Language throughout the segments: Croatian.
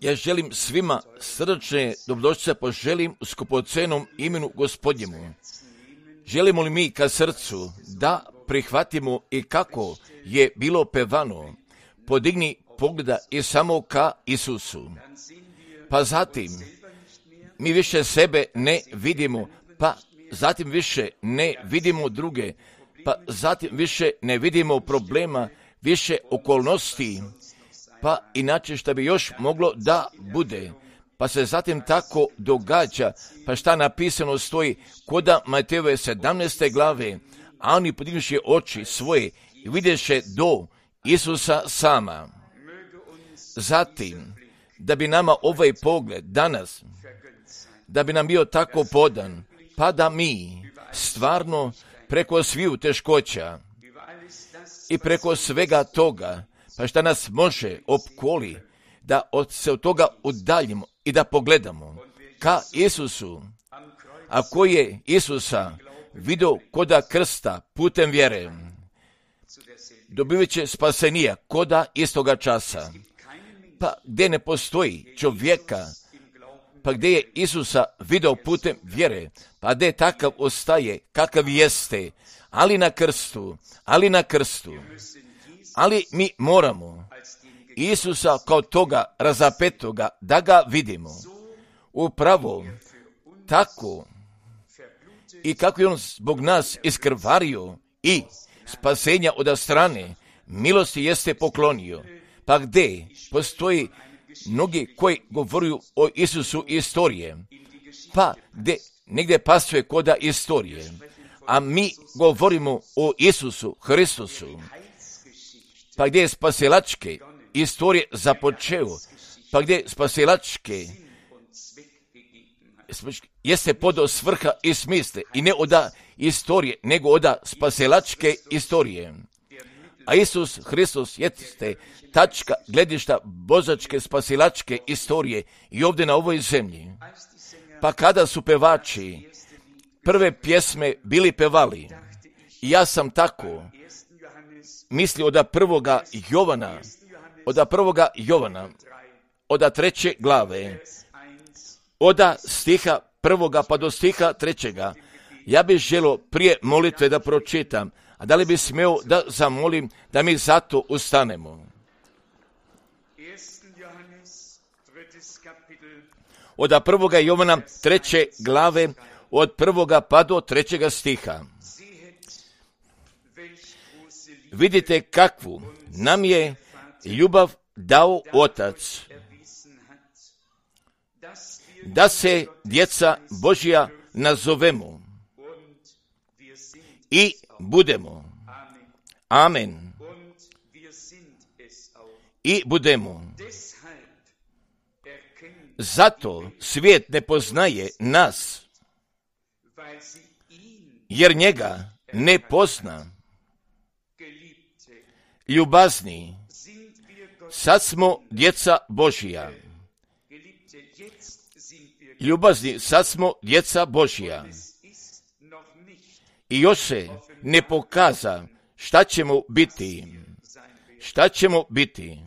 Ja želim svima srdačne dobrodošlice poželim u skupocenom imenu Gospodnjemu. Želimo li mi ka srcu da prihvatimo i kako je bilo pevano, podigni pogleda i samo ka Isusu. Pa zatim mi više sebe ne vidimo, pa zatim više ne vidimo druge, pa zatim više ne vidimo problema, više okolnosti, pa inače što bi još moglo da bude. Pa se zatim tako događa, pa šta napisano stoji koda Matejove 17. glave, a oni podignuši oči svoje i vidješe do Isusa sama. Zatim, da bi nama ovaj pogled danas, da bi nam bio tako podan, pa da mi stvarno preko sviju teškoća i preko svega toga, pa šta nas može opkoli, da se od toga udaljimo i da pogledamo ka Isusu, a koji je Isusa vidio koda krsta putem vjere, dobivat će spasenija koda istoga časa. Pa gdje ne postoji čovjeka, pa gdje je Isusa vidio putem vjere, pa gdje takav ostaje kakav jeste, ali na krstu, ali mi moramo Isusa kao toga razapetoga da ga vidimo. Upravo tako i kako je on zbog nas iskrvario i spasenja od strane milosti jeste poklonio. Pa gdje postoji mnogi koji govoruju o Isusu istorije, pa gdje negdje pasuje koda istorije, a mi govorimo o Isusu Hristusu, pa gdje je spasilačke istorije započeo, pa gdje spasilačke jeste podao svrha i smisle i ne oda istorije, nego oda spasilačke istorije. A Isus Hristos jeste tačka gledišta božačke spasilačke istorije i ovdje na ovoj zemlji. Pa kada su pevači prve pjesme bili pevali, ja sam tako mislio od prvoga Jovana, od 3. glave, od stiha 1. pa do stiha 3. Ja bih želio prije molitve da pročitam, a da li bi smeo da zamolim da mi zato ustanemo. Od 1. Jovana 3. glave, od 1. pa do 3. stiha. Vidite kakvu nam je ljubav dao Otac, da se djeca Božja nazovemo i budemo. Amen. I budemo. Zato svijet ne poznaje nas, jer njega ne pozna. Ljubazni, sad smo djeca Božja. Ljubazni, sad smo djeca Božja. I još se ne pokaza šta ćemo biti.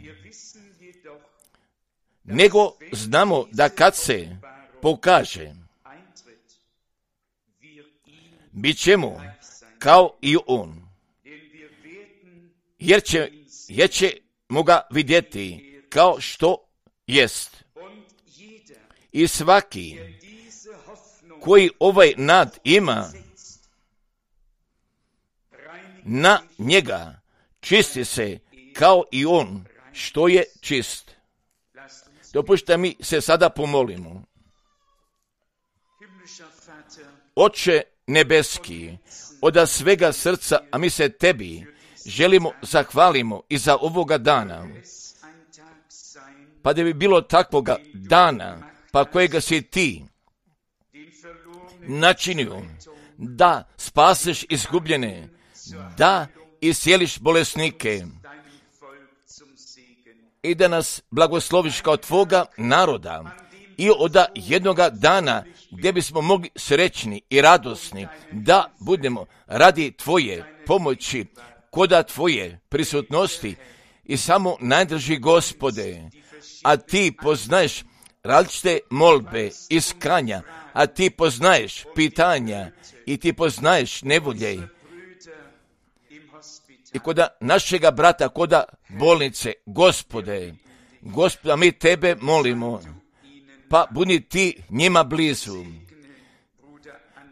Nego znamo da kad se pokaže, bit ćemo kao i on. Jer ćemo ga vidjeti kao što jest. I svaki koji ovaj nad ima, na njega čisti se kao i on što je čist. Dopušta mi se sada pomolimo. Oče nebeski, od svega srca, a mi se tebi želimo zahvalimo i za ovoga dana. Pa da bi bilo takvoga dana, pa kojega si ti načinio da spaseš izgubljene, da iscijeliš bolesnike i da nas blagosloviš kao tvoga naroda i od jednoga dana gdje bismo mogli srećni i radosni da budemo radi tvoje pomoći, koda tvoje prisutnosti i samo najdrži Gospode, a ti poznaješ različite molbe, iskanja, a ti poznaješ pitanja i ti poznaješ nevolje. I koda našega brata, koda bolnice, Gospode, mi tebe molimo, pa budi ti njima blizu.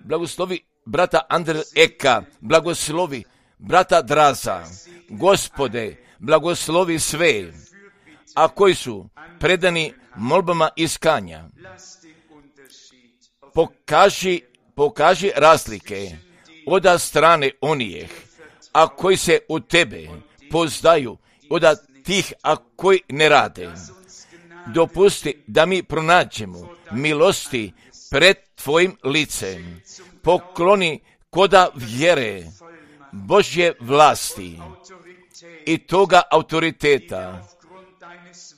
Blagoslovi brata Andrija Eka, blagoslovi brata Draza, Gospode, blagoslovi sve, a koji su predani molbama iskanja. Pokaži razlike od strane onih, a koji se u tebe poznaju, od tih, a koji ne rade. Dopusti da mi pronađemo milosti pred tvojim licem. Pokloni koda vjere, Božje vlasti i toga autoriteta,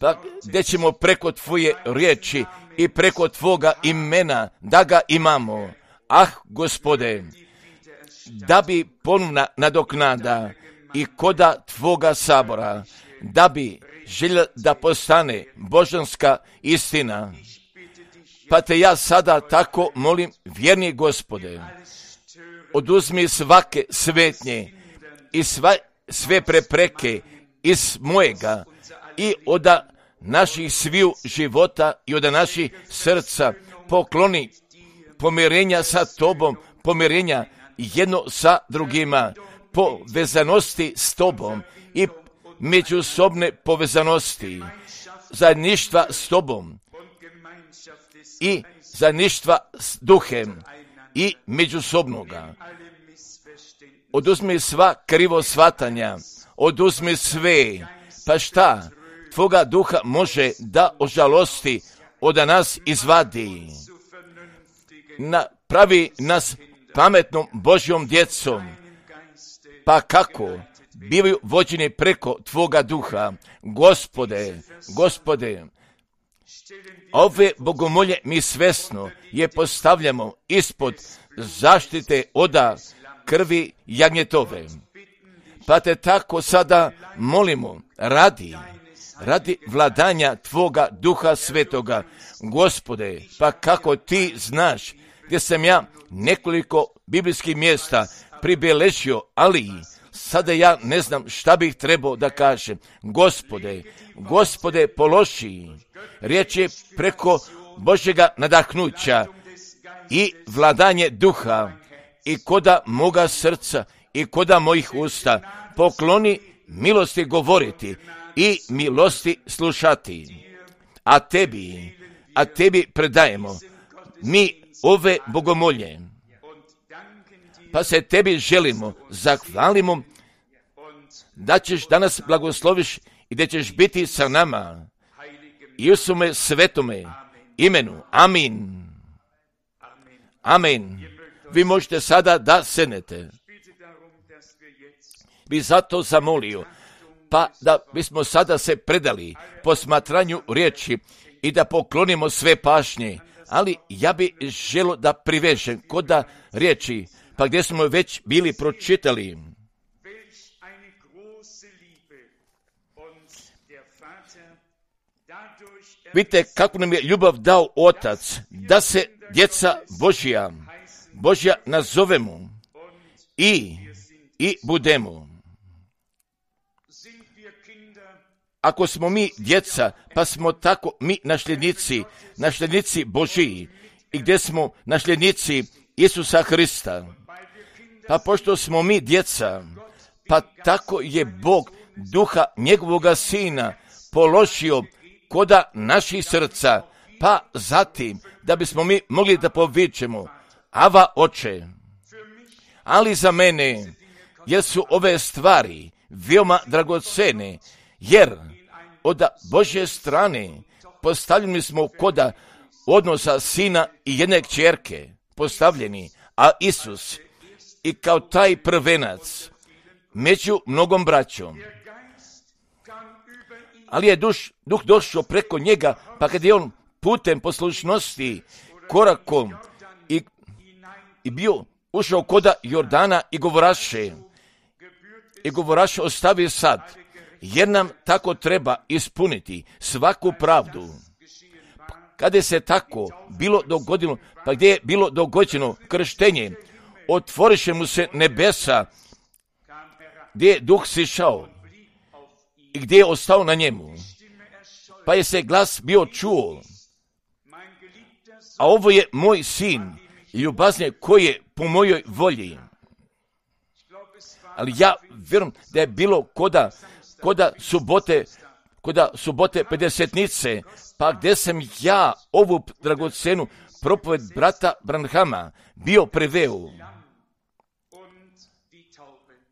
pa gdje ćemo preko tvoje riječi i preko tvoga imena da ga imamo. Gospode, da bi ponovna nadoknada i koda tvoga sabora, da bi željela da postane božanska istina. Pa te ja sada tako molim, vjerni Gospode, oduzmi svake smetnje i sve prepreke iz mojega i od naših sviju života i od naših srca. Pokloni pomirenja sa tobom, pomirenja jedno sa drugima, povezanosti s tobom i međusobne povezanosti, zajedništva s tobom i zajedništva s duhem i međusobnoga. Oduzmi sva krivo shvatanja, oduzmi sve, pa šta tvoga duha može da ožalosti, od nas izvadi. Pravi nas pametnom Božjom djecom, pa kako bivaju vođeni preko tvoga duha. Gospode, ove bogomolje mi svesno je postavljamo ispod zaštite oda krvi jagnjetove. Pa te tako sada molimo, radi vladanja tvoga duha svetoga. Gospode, pa kako ti znaš, gdje sam ja nekoliko biblijskih mjesta pribeležio, ali sada ja ne znam šta bih trebao da kažem. Gospode, položi riječi preko Božjega nadahnuća i vladanje duha i koda moga srca i koda mojih usta. Pokloni milosti govoriti i milosti slušati. A tebi predajemo mi ove bogomolje. Pa se tebi želimo, zahvalimo da ćeš danas blagosloviš i da ćeš biti sa nama. I u svome svetome imenu. Amin. Amin. Vi možete sada da sednete. Bi zato zamolio, pa da bismo sada se predali posmatranju riječi i da poklonimo sve pažnje, ali ja bi želio da privežem koda riječi, pa gdje smo već bili pročitali. Vidite kako nam je ljubav dao Otac, da se djeca Božja nazovemo i budemo. Ako smo mi djeca, pa smo tako mi nasljednici Božiji, i gdje smo nasljednici Isusa Hrista. Pa pošto smo mi djeca, pa tako je Bog duha njegovoga Sina položio koda naših srca, pa zatim da bismo mi mogli da povičemo Ava Oče. Ali za mene, jer su ove stvari veoma dragocene, jer od Božje strane postavljeni smo koda odnosa sina i jedne kćerke postavljeni, a Isus i kao taj prvenac među mnogom braćom. Ali je duh došao preko njega, pa kad je on putem poslušnosti korakom i bio ušao koda Jordana i govoraše ostavi sad jer nam tako treba ispuniti svaku pravdu. Kada se tako bilo dogodilo, pa gdje je bilo dogođeno krštenje, otvoriše mu se nebesa, gdje je duh sišao i gdje je ostao na njemu. Pa je se glas bio čuo, a ovo je moj sin, ljubazni koji je po mojoj volji. Ali ja vjerujem da je bilo koda subote pedesetnice, pa gdje sam ja ovu dragocenu propoved brata Branhama bio preveo.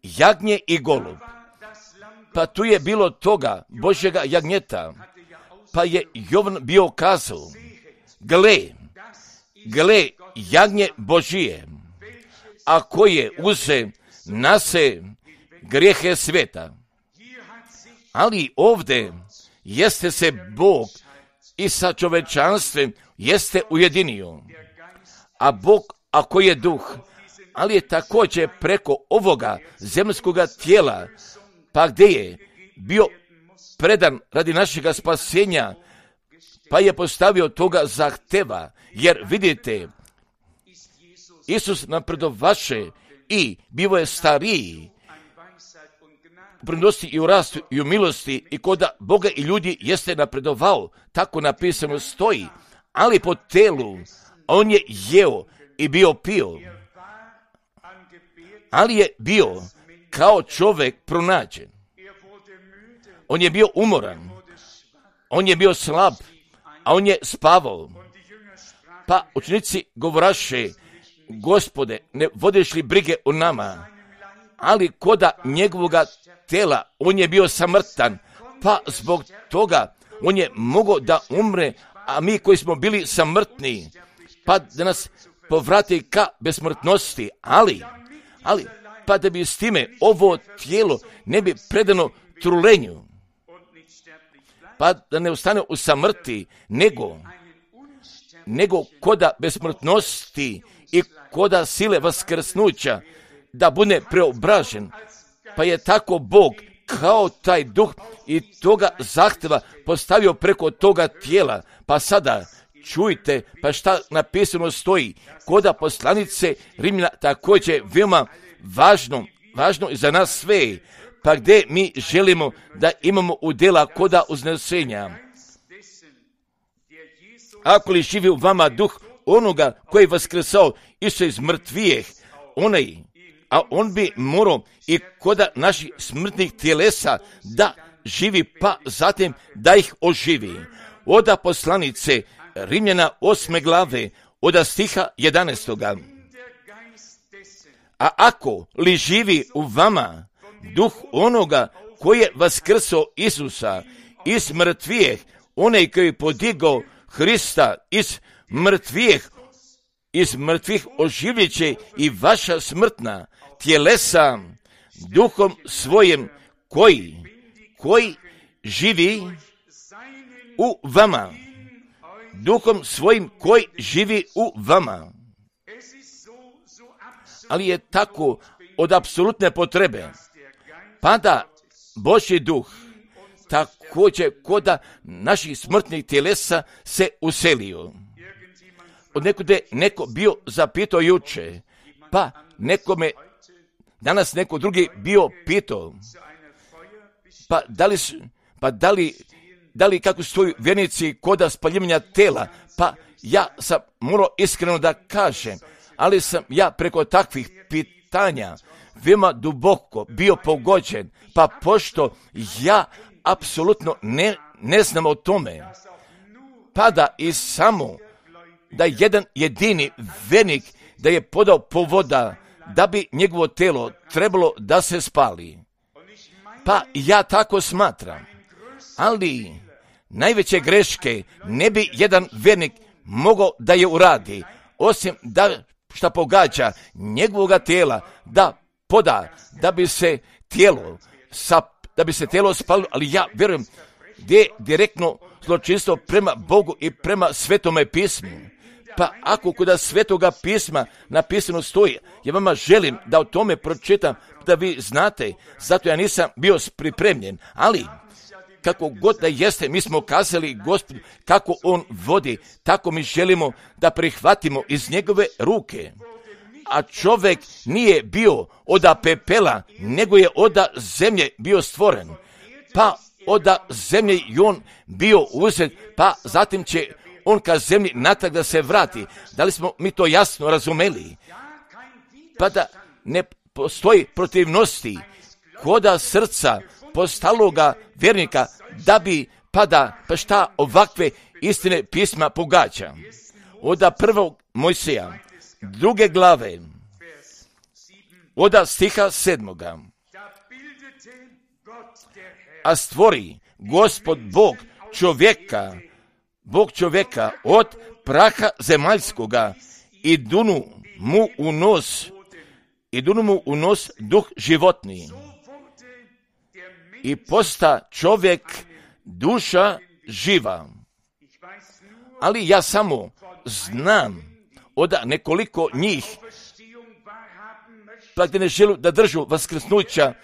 Jagnje i golub. Pa tu je bilo toga Božjega jagnjeta. Pa je Jovan bio kazao, gle, jagnje Božije, a koje uze nase grijehe sveta. Ali ovdje jeste se Bog i sa čovečanstvom jeste ujedinio. A Bog, ako je duh, ali je također preko ovoga zemljskoga tijela, pa gdje je bio predan radi našega spasenja, pa je postavio toga zahteva, jer vidite, Isus napredovaše i bivo je stariji, prenosi i u rastu i u milosti i koda Boga i ljudi jeste napredovao, tako napisano stoji, ali po telu on je jeo i bio pio, ali je bio kao čovjek pronađen. On je bio umoran, on je bio slab, a on je spavao. Pa učenici govoraše, Gospode, ne vodiš li brige o nama? Ali koda njegovoga tela, on je bio samrtan, pa zbog toga on je mogao da umre, a mi koji smo bili samrtni, pa da nas povrati ka besmrtnosti, ali, pa da bi s time ovo tijelo ne bi predano trulenju, pa da ne ostane u samrti, nego koda besmrtnosti i koda sile vaskrsnuća, da bude preobražen. Pa je tako Bog kao taj duh i toga zahtjeva postavio preko toga tijela. Pa sada čujte, pa šta napisano stoji, koda poslanice Rimljana također veoma važno i za nas sve, pa gdje mi želimo da imamo udjela koda uznesenja. Ako li živi u vama duh onoga koji je vaskrsao Isusa iz mrtvijeh, a on bi morao i koda naših smrtnih tjelesa da živi, pa zatim da ih oživi. Oda poslanice Rimljana 8. glave, oda stiha 11. A ako li živi u vama duh onoga koji je vaskrsao Isusa iz mrtvijeh, onaj koji je podigao Hrista iz mrtvih oživljet će i vaša smrtna tjelesa duhom svojim koji živi u vama. Duhom svojim koji živi u vama. Ali je tako od apsolutne potrebe, pa da Božji duh također koda naših smrtnih tjelesa se uselio. Od nekude neko bio zapitao juče, pa nekome danas neko drugi bio pitao, da li kako stoju vjernici koda spaljivanja tela, pa ja sam morao iskreno da kažem, ali sam ja preko takvih pitanja veoma duboko bio pogođen, pa pošto ja apsolutno ne znam o tome, pa da i samo da jedan jedini vjernik da je podao povoda da bi njegovo telo trebalo da se spali. Pa ja tako smatram, ali najveće greške ne bi jedan vjernik mogao da je uradi, osim da šta pogađa njegovoga tela da poda, da bi se tijelo spalilo, ali ja vjerujem gdje je direktno zločinstvo prema Bogu i prema Svetome pismu. Pa ako kod Svetoga pisma napisano stoji, ja vama želim da o tome pročitam, da vi znate, zato ja nisam bio pripremljen, ali kako god da jeste, mi smo kazali Gospodu kako on vodi, tako mi želimo da prihvatimo iz njegove ruke. A čovjek nije bio oda pepela, nego je oda zemlje bio stvoren. Pa oda zemlje i on bio uzet, pa zatim će on ka zemlji natrag da se vrati. Da li smo mi to jasno razumeli? Pa da ne postoji protivnosti koda srca postaloga vjernika da bi pa šta ovakve istine pisma pogađa. Oda prvog Mojsija, 2. glave, oda stiha 7. A stvori Gospod Bog čovjeka od praha zemaljskoga i dunu mu u nos duh životni. I posta čovjek duša živa. Ali ja samo znam od nekoliko njih, pa gdje ne želu da držu vaskrsnuća,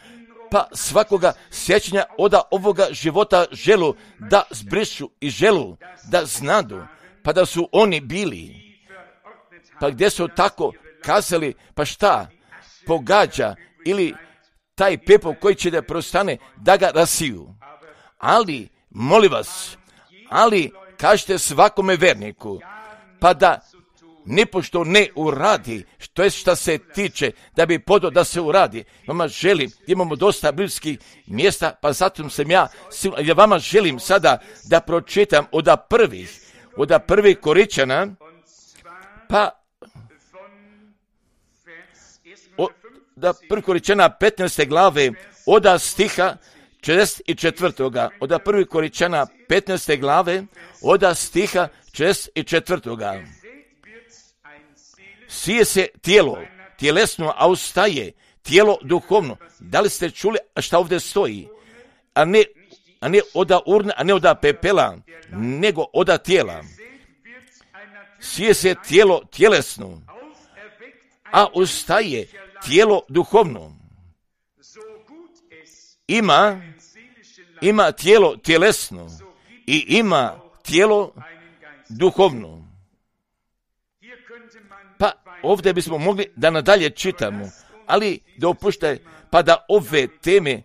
pa svakoga sjećanja od ovoga života želu da zbrišu i želu da znadu, pa da su oni bili. Pa gdje su tako kazali, pa šta pogađa ili taj pepel koji će da prostane, da ga rasiju. Ali, molim vas, kažete svakome verniku, pa da nipošto ne uradi, što je šta se tiče, da bi podo da se uradi. Vama želim, imamo dosta biblijskih mjesta, pa zato sam ja vama želim sada da pročitam od prvih Koričana, pa da 1. Koričana 15. glave od stiha 44. Od 1. Koričana 15. glave od stiha 44. Sije se tijelo, tjelesno, a ustaje tijelo duhovno. Da li ste čuli šta ovdje stoji? A ne oda urne, a ne oda pepela, nego oda tijela. Sije se tijelo tjelesno, a ustaje tijelo duhovno. Ima tijelo tjelesno i ima tijelo duhovno. Pa ovdje bismo mogli da nadalje čitamo, ali dopuštaj pa da ove teme,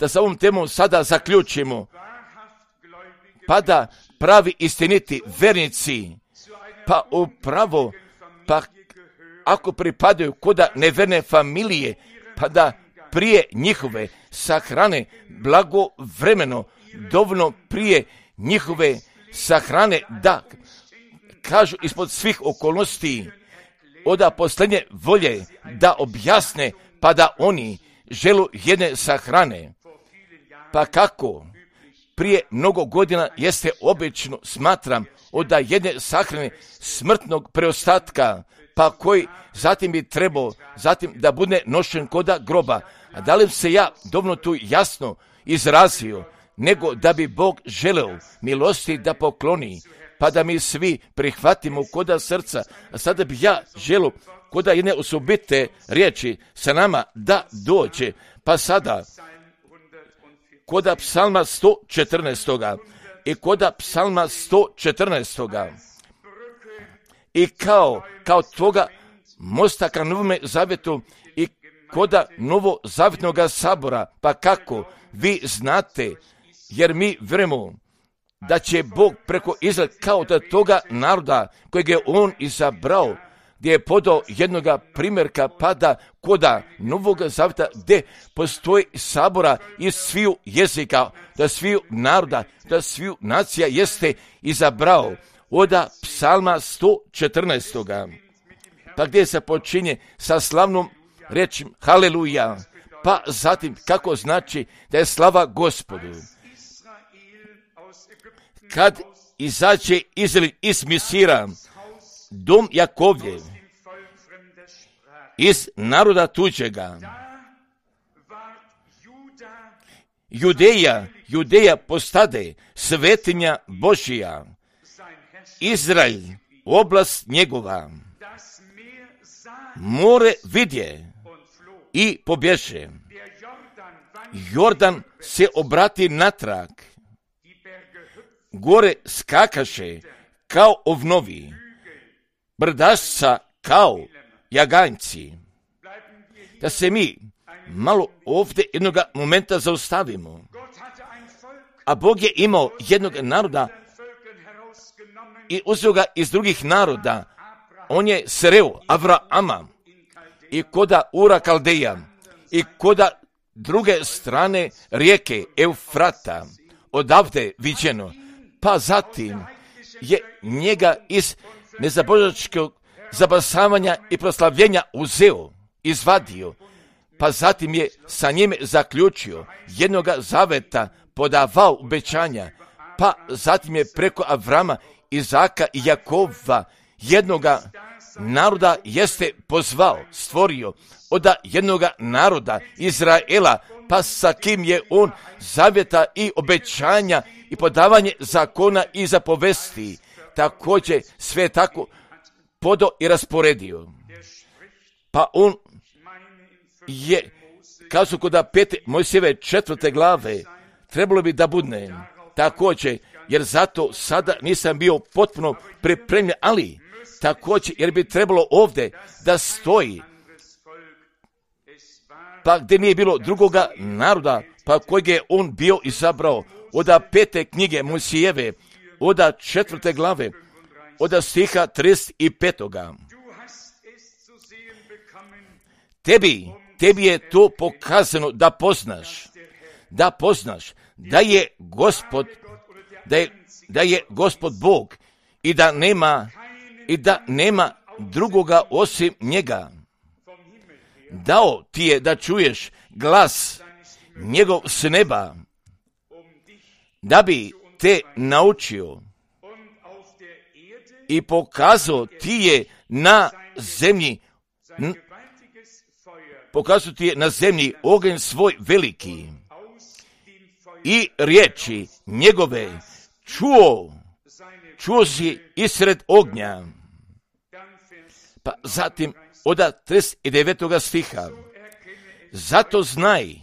da sa ovom temom sada zaključimo, pa da pravi istiniti vernici, pa upravo, pa ako pripadaju koda neverne familije, pa da prije njihove sahrane blagovremeno, dovoljno prije njihove sahrane, da kažu ispod svih okolnosti od posljednje volje da objasne, pa da oni želu jedne sahrane. Pa kako prije mnogo godina jeste obično, smatram, od jedne sahrane smrtnog preostatka, pa koji zatim bi trebao zatim da bude nošen koda groba. A da li se ja dovoljno tu jasno izrazio, nego da bi Bog želeo milosti da pokloni, pa da mi svi prihvatimo koda srca. A sada bi ja želio koda jedne osobite riječi sa nama da dođe, pa sada koda psalma 114. i koda psalma 114. I kao toga mosta ka Novome zavjetu i koda Novozavjetnog sabora, pa kako vi znate, jer mi vjerujemo da će Bog preko Izraela kao da toga naroda kojeg je on izabrao, gdje je podao jednoga primjerka, pa da koda Novog Zavjeta gdje postoji sabora iz sviju jezika, da sviju naroda, da sviju nacija jeste izabrao. Oda psalma 114. Pa gdje se počinje sa slavnom rečim haleluja, pa zatim kako znači da je slava Gospodu. Kad izađe Izrael iz Misira, dom Jakovljev, iz naroda tuđega, Judeja postade svetinja Božija, Izrael oblast njegova. More vidje i pobježe. Jordan se obrati natrag. Gore skakaše kao ovnovi. Brdašca kao jaganjci. Da se mi malo ovdje jednoga momenta zaustavimo. A Bog je imao jednog naroda i uzeo ga iz drugih naroda. On je sreo Avrama i koda Ura Kaldeja i koda druge strane rijeke Eufrata, odavde viđeno. Pa zatim je njega iz nezabožačkog zabasavanja i proslavljenja uzeo, izvadio, pa zatim je sa njime zaključio jednoga zaveta, podavao obećanja, pa zatim je preko Avrama, Izaka i Jakova jednoga naroda jeste pozvao, stvorio od jednoga naroda Izraela, pa sa kim je on zavjeta i obećanja i podavanje zakona i zapovesti, također sve tako podo i rasporedio. Pa on je, kazao kod 5. Mojsijeve 4. glave, trebalo bi da budne također, jer zato sada nisam bio potpuno pripremljen, ali također jer bi trebalo ovdje da stoji, pa gdje nije bilo drugoga naroda, pa kojeg je on bio izabrao, od 5. knjige Mojsijeve, od 4. glave, od stiha 35. Tebi je to pokazano da poznaš da je Gospod, da je Gospod Bog i da nema drugoga osim njega. Dao ti je da čuješ glas njegov s neba, da bi te naučio i pokazao ti je na zemlji, oganj svoj veliki i riječi njegove čuo si isred ognja. Pa zatim od 39. stiha, zato znaj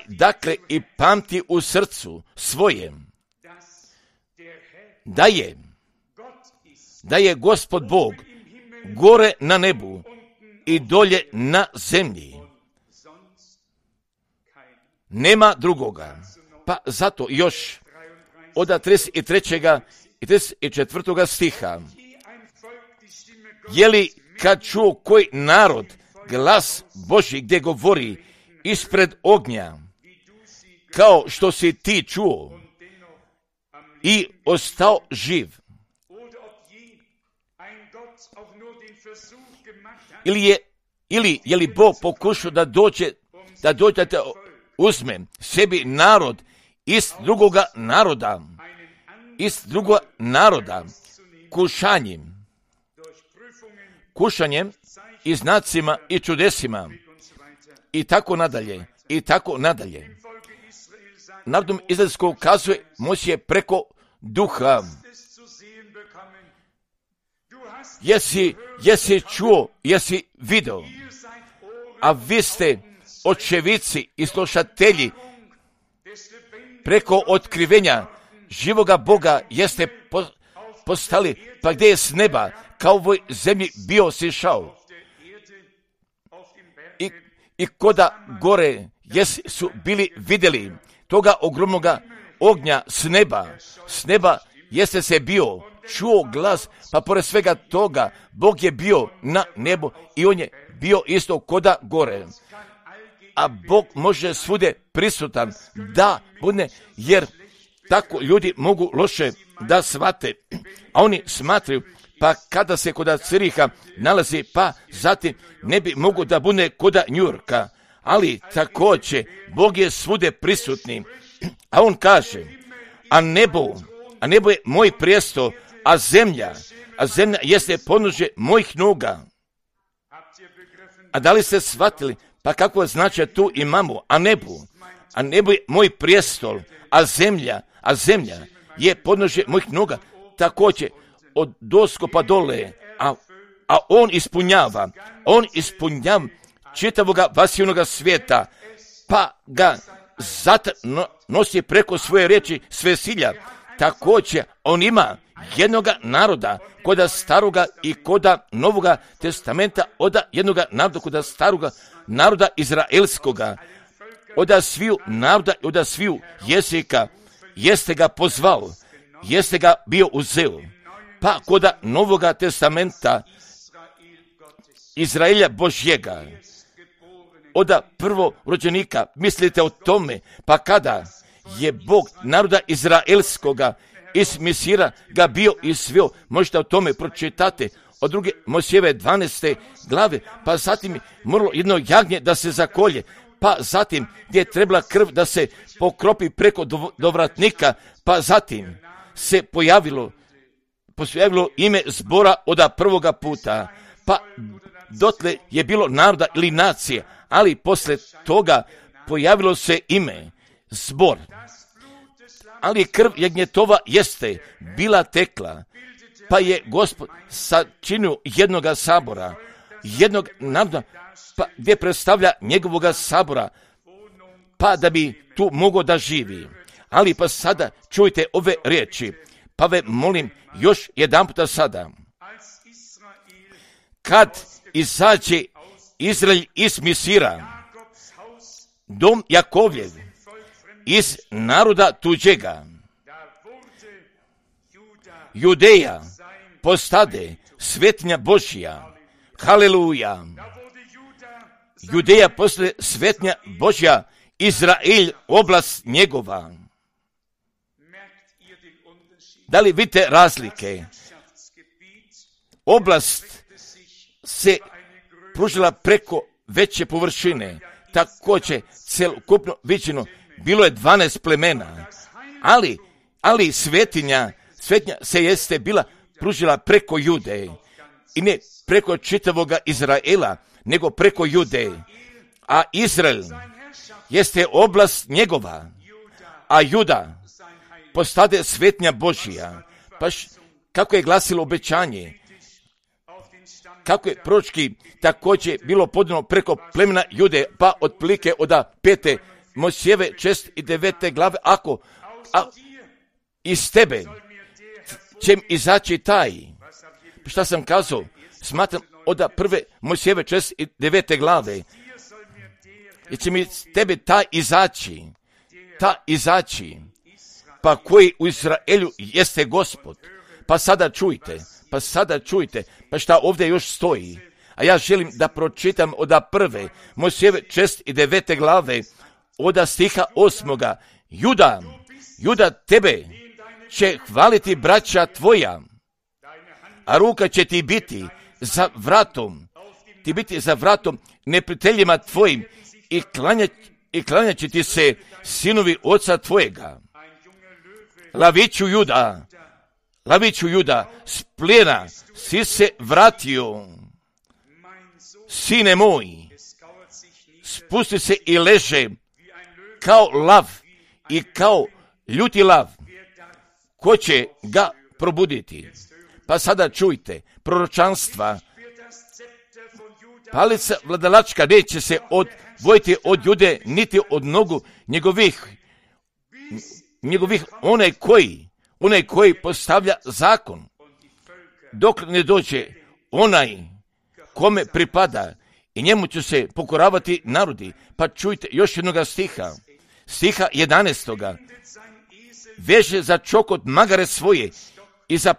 dakle i pamti u srcu svojem, da je Gospod Bog gore na nebu i dolje na zemlji. Nema drugoga. Pa zato još od 33. i 34. stiha, je li kad čuo koji narod glas Božji gdje govori ispred ognja, kao što si ti čuo i ostao živ? Ili je li Bog pokušao da dođe da te uzme sebi narod iz drugoga naroda, kušanjem i znacima i čudesima i tako nadalje. Narodom izraelskog ukazuje Mojsije preko duha. Jesi čuo, jesi video, a vi ste očevici i slušatelji preko otkrivenja živoga Boga jeste postali, pa gdje je s neba kao ovoj zemlji bio sišao i koda gore su bili vidjeli toga ogromnoga ognja s neba jeste se bio čuo glas, pa pored svega toga Bog je bio na nebu i on je bio isto koda gore. A Bog može svude prisutan da bude, jer tako ljudi mogu loše da shvate, a oni smatraju, pa kada se koda Ciriha nalazi, pa zatim ne bi mogo da bude koda Njurka, ali također Bog je svude prisutni, a on kaže, a nebo je moj prijestol, a zemlja jeste podnožje mojih noga. A da li ste shvatili, pa kako znači tu imamo, a nebo je moj prijestol, a zemlja je podnožje mojih noga. Također, od dosko pa dole, a on ispunjava čitavoga vasivnoga svijeta, pa ga zato nosi preko svoje riječi sve silja. Također on ima jednoga naroda koda staroga i koda novoga testamenta, oda jednoga naroda koda staroga naroda izraelskoga, oda sviju naroda i oda sviju jezika, jeste ga pozvao, jeste ga bio uzeo. Pa koda novoga testamenta Izraelja Božjega, oda prvorođenika, mislite o tome, pa kada je Bog naroda izraelskoga iz Misira ga bio izveo, možete o tome pročitati od druge Mojsijeve 12. glave, pa zatim je moralo jedno jagnje da se zakolje, pa zatim gdje je trebala krv da se pokropi preko dovratnika, pa zatim se pojavilo ime zbora oda prvoga puta, pa dotle je bilo naroda ili nacije, ali poslije toga pojavilo se ime zbor. Ali krv jagnjetova jeste bila tekla, pa je Gospod sačinio jednoga sabora, jednog naroda, pa gdje predstavlja njegovoga sabora, pa da bi tu mogao da živi. Ali pa sada čujte ove riječi, pa ve molim još jedan puta sada. Kad izađe Izrael iz Misira, dom Jakovljev, iz naroda tuđega, Judeja postade svetinja Božja. Haleluja. Judeja postade svetinja Božja, Izrael oblast njegova. Da li vidite razlike? Oblast se pružila preko veće površine, također celokupno viđeno bilo je 12 plemena, ali svetinja se jeste bila pružila preko Jude i ne preko čitavoga Izraela, nego preko Jude. A Izrael jeste oblast njegova, a Juda postade svetinja Božja. Pa kako je glasilo obećanje, kako je proročki također bilo podano preko plemena Jude, pa otprilike od 5. Mojsijeve 6. i 9. glave, ako iz tebe će izaći taj, šta sam kazao, smatram od 1. Mojsijeve 6. i 9. glave, i će mi iz tebe ta izaći, pa koji u Izraelju jeste Gospod. Pa sada čujte, pa šta ovdje još stoji. A ja želim da pročitam od 1. Mojsijeve 6. i 9. glave, od stiha 8. Juda, tebe će hvaliti braća tvoja, a ruka će ti biti za vratom neprijateljima tvojim i klanjat će ti se sinovi oca tvojega. Laviću Juda, s plijena si se vratio, sine moj, spusti se i leže kao lav i kao ljuti lav, ko će ga probuditi? Pa sada čujte, proročanstva, palica vladalačka neće se odvojiti od Jude, niti od nogu njegovih onaj koji postavlja zakon, dok ne dođe onaj kome pripada, i njemu će se pokoravati narodi. Pa čujte još jednoga stiha 11. Veže za čokot magare svoje i za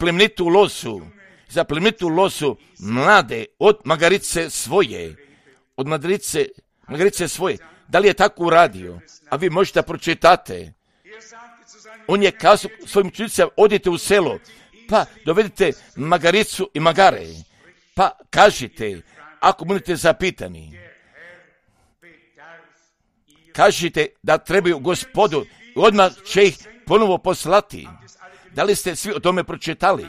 plemenitu losu mlade od magarice svoje. Da li je tako uradio? A vi možete pročitate. On je kazao svojim učenicima, odite u selo, pa dovedite magaricu i magare, pa kažite, ako budete zapitani, kažite da trebaju Gospodu, odmah će ih ponovo poslati. Da li ste svi o tome pročitali?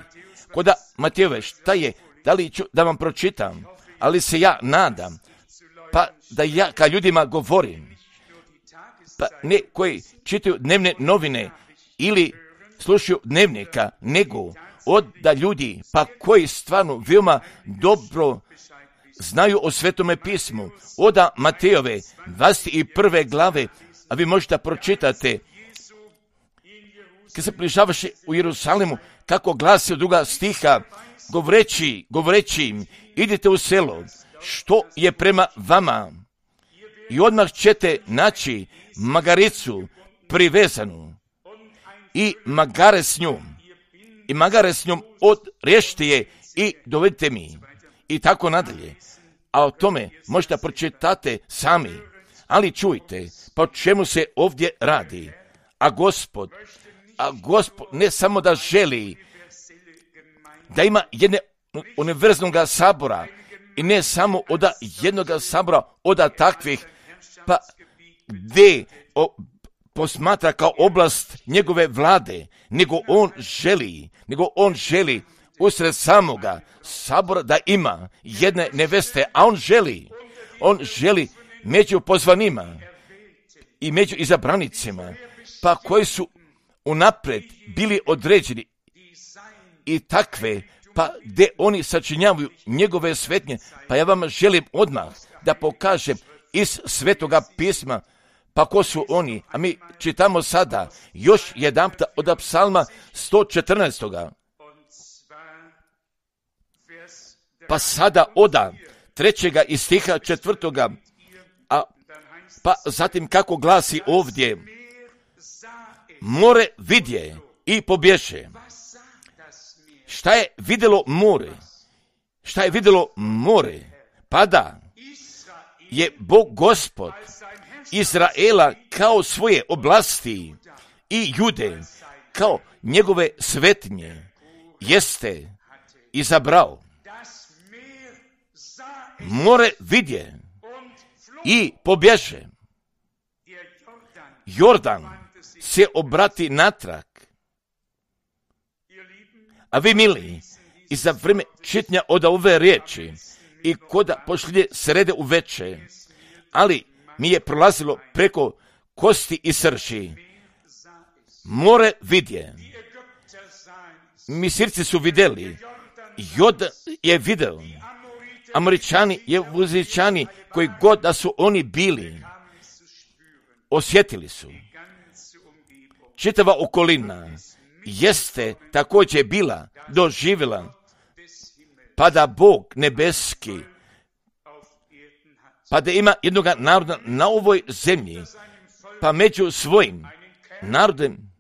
Koda Matijeve, šta je? Da li ću da vam pročitam? Ali se ja nadam, pa da ja ka ljudima govorim, pa ne koji čitaju dnevne novine ili slušaju dnevnika, nego oda ljudi, pa koji stvarno veoma dobro znaju o Svetome pismu, oda Matejove 21. glave, a vi možete pročitati kad se približavaše u Jerusalimu, kako glasi od 2. stiha, govoreći im, idite u selo, što je prema vama, i odmah ćete naći magaricu privezanu i magare s njom odriješite je i dovedite mi. I tako nadalje. A o tome možete pročitati sami. Ali čujte, pa o čemu se ovdje radi. A Gospod ne samo da želi da ima jedne univerzalnog sabora i ne samo od jednog sabora, od takvih, pa gdje posmatra kao oblast njegove vlade, nego on želi usred samoga sabora da ima jedne neveste, a on želi među pozvanima i među izabranicima, pa koji su unaprijed bili određeni i takve, pa gdje oni sačinjavaju njegove svetnje, pa ja vam želim odmah da pokažem iz Svetoga pisma, pa ko su oni, a mi čitamo sada još jedanput od Psalma 114. Pa sada oda 3. i stiha 4. Pa zatim kako glasi ovdje, more vidje i pobješe. Šta je vidjelo more? Pa da je Bog Gospod Izraela kao svoje oblasti i Jude kao njegove svetnje jeste izabrao. More vidje i pobježe. Jordan se obrati natrag. A vi, mili, i za vrijeme čitanja od ove riječi i koda pošlje srede u veče, ali mi je prolazilo preko kosti i srži. More vidje. Misirci su vidjeli. Jordan je video. Američani, Jevuzičani, koji god da su oni bili, osjetili su. Čitava okolina jeste također bila doživjela, pa da Bog nebeski, pa da ima jednog naroda na ovoj zemlji, pa među svojim narodem,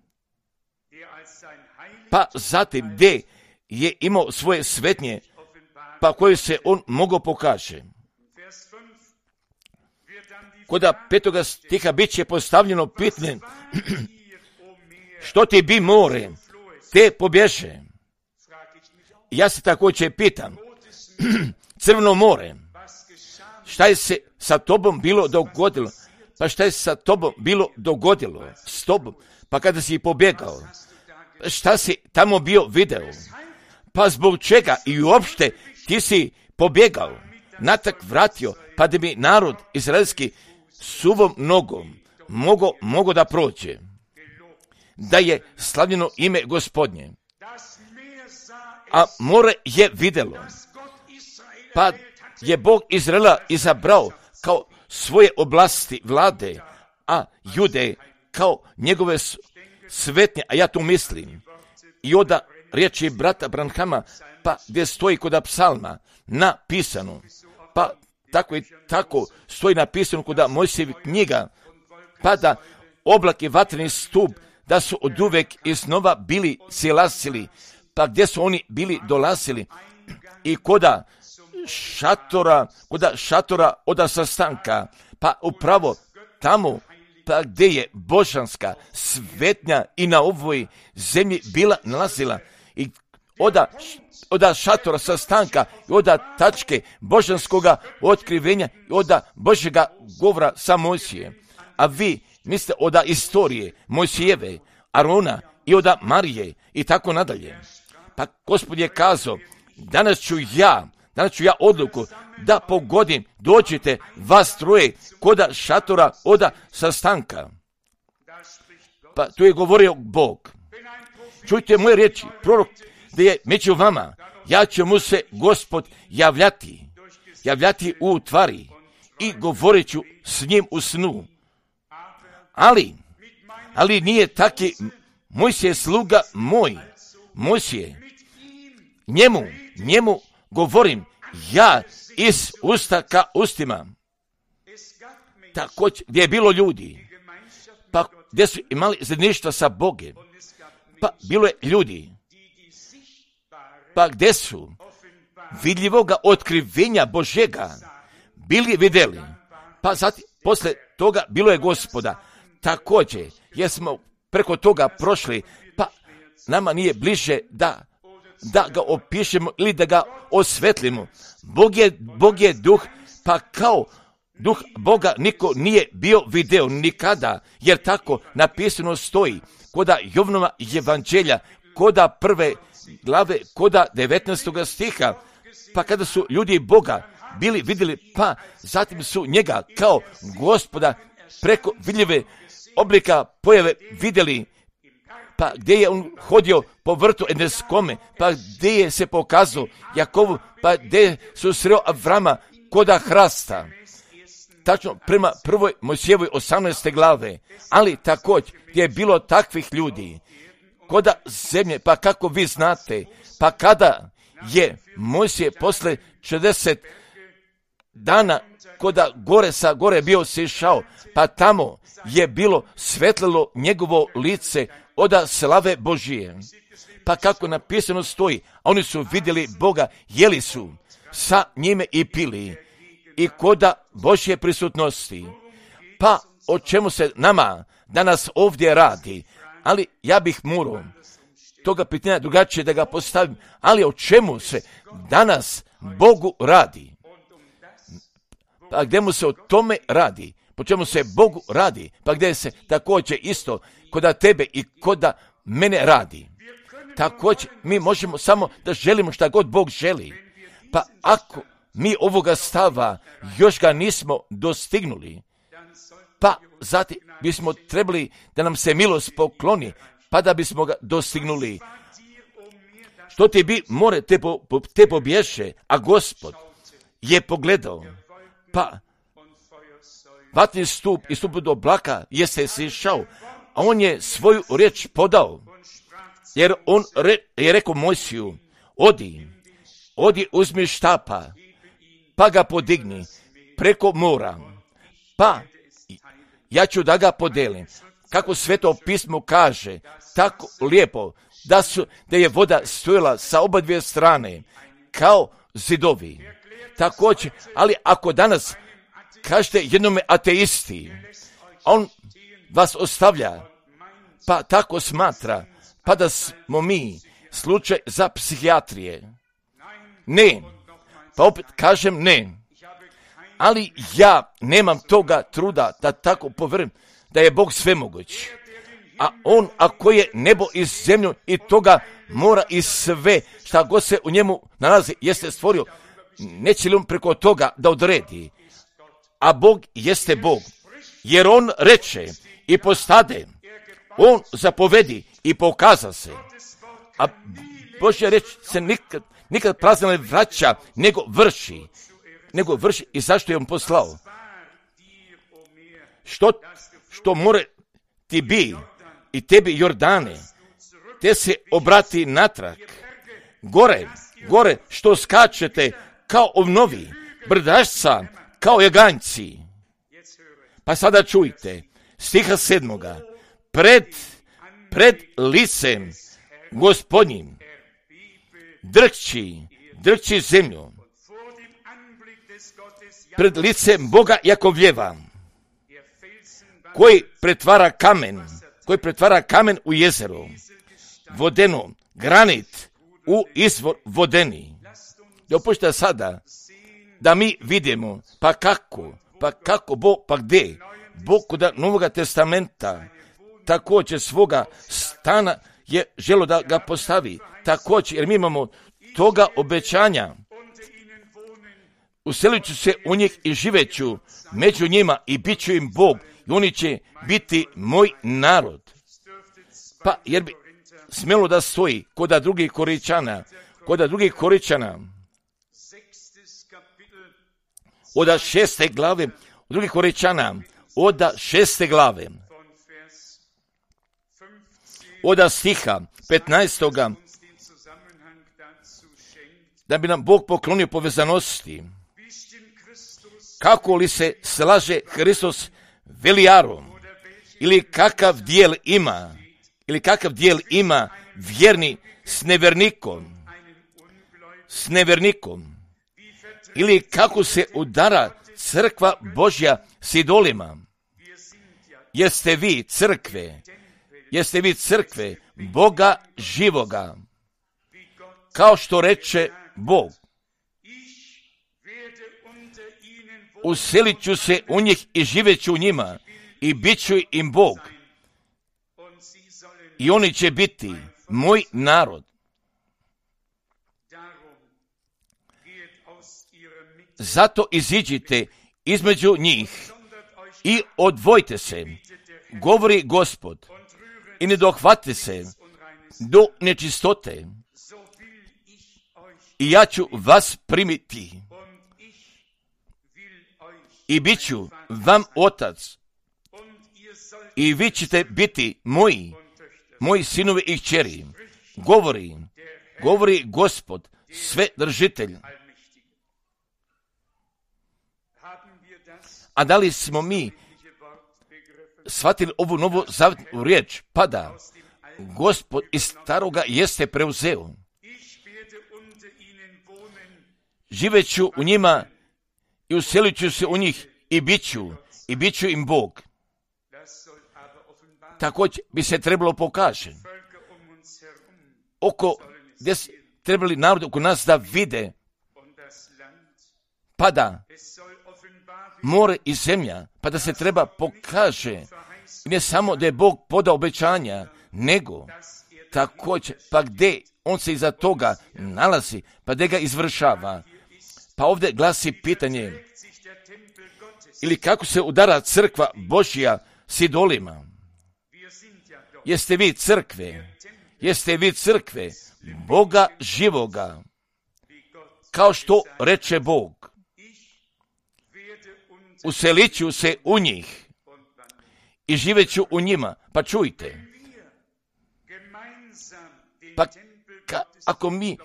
pa zatim gdje je imao svoje svetnje, pa koje se on mogao pokaže. Koda 5. stiha bit će postavljeno pitanje, što ti bi more, te pobježe. Ja se također pitam, Crveno more, šta je se sa tobom bilo dogodilo? Pa šta je sa tobom bilo dogodilo s tobom? Pa kada si pobjegao, šta si tamo bio video? Pa zbog čega i uopšte ti si pobjegao, natrag vratio, pa da bi narod izraelski suvom nogom mogo da prođe, da je slavljeno ime Gospodnje. A more je vidjelo, pa je Bog Izraela izabrao kao svoje oblasti vlade, a Jude kao njegove svetnje, a ja to mislim. I onda riječi brata Branhama, pa gdje stoji kod psalma napisano, pa tako i tako stoji napisano kod Mojsijevih knjiga, pa da oblak i vatreni stup, da su oduvek iznova bili silasili, pa gdje su oni bili dolazili i koda šatora od sastanka, pa upravo tamo, pa gdje je božanska svetnja i na ovoj zemlji bila nalazila i od šatora sastanka i od tačke božanskoga otkrivenja i od Božjega govora sa Mojsijem. A vi mislite od istorije Mojsijeve, Arona i od Marije i tako nadalje. Pa Gospod je kazao, danas ću ja odluku da pogodim, dođite vas troje koda šatora od sastanka. Pa tu je govorio Bog. Čujte moje riječi, prorok da je među vama, ja ću mu se Gospod javljati u tvari i govorit ću s njim u snu. Ali nije taki Mojsije sluga moj. Mojsije, njemu govorim ja iz usta ka ustima. Također, gdje je bilo ljudi, pa gdje su imali zajedništva sa Bogom, pa bilo je ljudi, pa gdje su vidljivoga otkrivenja Božjega bili vidjeli, pa zatim posle toga bilo je Gospoda. Također, jer smo preko toga prošli, pa nama nije bliže da ga opišemo ili da ga osvetlimo. Bog je duh, pa kao duh Boga niko nije bio video nikada, jer tako napisano stoji koda Jovanova evanđelja, koda 1. glave, koda 19. stiha, pa kada su ljudi Boga bili vidjeli, pa zatim su njega kao Gospoda preko vidljive oblika pojave vidjeli, pa gdje je on hodio po vrtu Edeskome, pa gdje je se pokazao Jakovu, pa gdje su sreo Avrama koda hrasta. Tačno prema 1. Mojsijevoj 18. glave, ali također gdje je bilo takvih ljudi koda zemlje, pa kako vi znate, pa kada je Mojsije posle 40 dana koda sa gore bio sišao, pa tamo je bilo svetlilo njegovo lice oda slave Božije. Pa kako napisano stoji, a oni su vidjeli Boga, jeli su sa njime i pili i koda Božje prisutnosti. Pa o čemu se nama danas ovdje radi? Ali ja bih morao toga pitanja drugačije da ga postavim, ali o čemu se danas Bogu radi? Pa gdje mu se o tome radi? Po čemu se Bogu radi? Pa gdje se također isto koda tebe i koda mene radi? Također mi možemo samo da želimo šta god Bog želi. Pa ako mi ovoga stava još ga nismo dostignuli, pa zatim bismo trebali da nam se milost pokloni, pa da bismo ga dostignuli. Što ti bi more te pobješe, a Gospod je pogledao, pa vatni stup i stup do oblaka jeste sišao, a on je svoju riječ podao, jer on je rekao Mojsiju, odi uzmi štapa, pa ga podigni preko mora, pa ja ću da ga podelim. Kako Sveto pismo kaže, tako lijepo, da je voda stojala sa oba dvije strane, kao zidovi. Također, ali ako danas kažete jednome ateisti, on vas ostavlja, pa tako smatra, pa da smo mi slučaj za psihijatrije. Ne, pa opet kažem ne, ali ja nemam toga truda da tako povjerujem da je Bog svemoguć. A on, ako je nebo i zemlju i toga mora i sve šta god se u njemu nalazi, jeste stvorio, neće li on preko toga da odredi? A Bog jeste Bog, jer on reče i postade, on zapovedi i pokaza se. A Božja reč se nikad prazno ne vraća, nego vrši i zašto je on poslao? Što more ti bi i tebi Jordane, te se obrati natrag, gore što skačete kao ovnovi, brdašca kao jaganjci. Pa sada čujte, stiha 7. Pred licem Gospodnjim drhči zemlju, pred licem Boga Jakovljeva, koji pretvara kamen u jezero, vodeno, granit u izvor vodeni. Dopušta sada da mi vidimo, pa kako Bog, pa gdje? Bog kod Novoga testamenta također svoga stana je želo da ga postavi. Također, jer mi imamo toga obećanja. Uselit ću se u njih i živeću među njima i bit ću im Bog i oni će biti moj narod. Pa jer bi smjelo da stoji kod drugih Koričana, od 6. glave, drugih Koričana, od 6. glave, od stiha 15. da bi nam Bog poklonio povezanosti. Kako li se slaže Hristos velijarom, ili kakav dijel ima vjerni s nevernikom, ili kako se udara crkva Božja s idolima. Jeste vi crkve Boga živoga, kao što reče Bog. Uselit ću se u njih i živjet ću u njima i bit ću im Bog. I oni će biti moj narod. Zato iziđite između njih i odvojte se, govori Gospod, i ne dohvate se do nečistote. I ja ću vas primiti i bit ću vam otac i vi ćete biti moji sinovi i kćeri, govori Gospod, Svedržitelj. A da li smo mi shvatili ovu novu zavetnu riječ? Pa da, Gospod iz staroga jeste preuzeo. Živet ću u njima i uselit ću se u njih i bit ću im Bog. Također bi se trebalo pokaže. Gdje trebali narod oko nas da vide, pa da more i zemlja, pa da se treba pokaže, ne samo da je Bog podao obećanja, nego također, pa gdje on se iza toga nalazi, pa gdje ga izvršava. Pa ovdje glasi pitanje, ili kako se udara crkva Božja s idolima. Jeste vi crkve Boga živoga, kao što reče Bog. Uselit ću se u njih i živjet ću u njima. Pa čujte, pa ako mi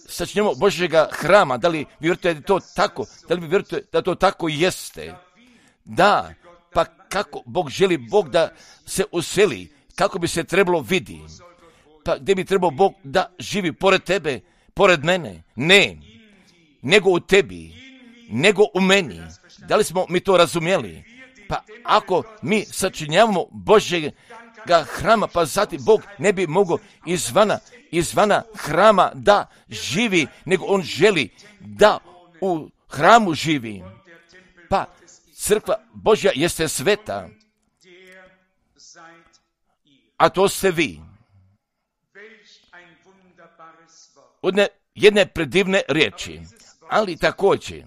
sačinjemo Božjega hrama, da li vi vjerujete da je to tako? Da li vi vjerujete da to tako jeste? Da, pa kako Bog želi Bog da se useli? Kako bi se trebalo vidi? Pa gdje bi trebao Bog da živi pored tebe, pored mene? Ne, nego u tebi, nego u meni. Da li smo mi to razumjeli? Pa ako mi sačinjavamo Božjega hrama, pa zatim Bog ne bi mogao izvana hrama da živi, nego on želi da u hramu živi. Pa crkva Božja jeste sveta, a to ste vi. Od jedne predivne riječi, ali također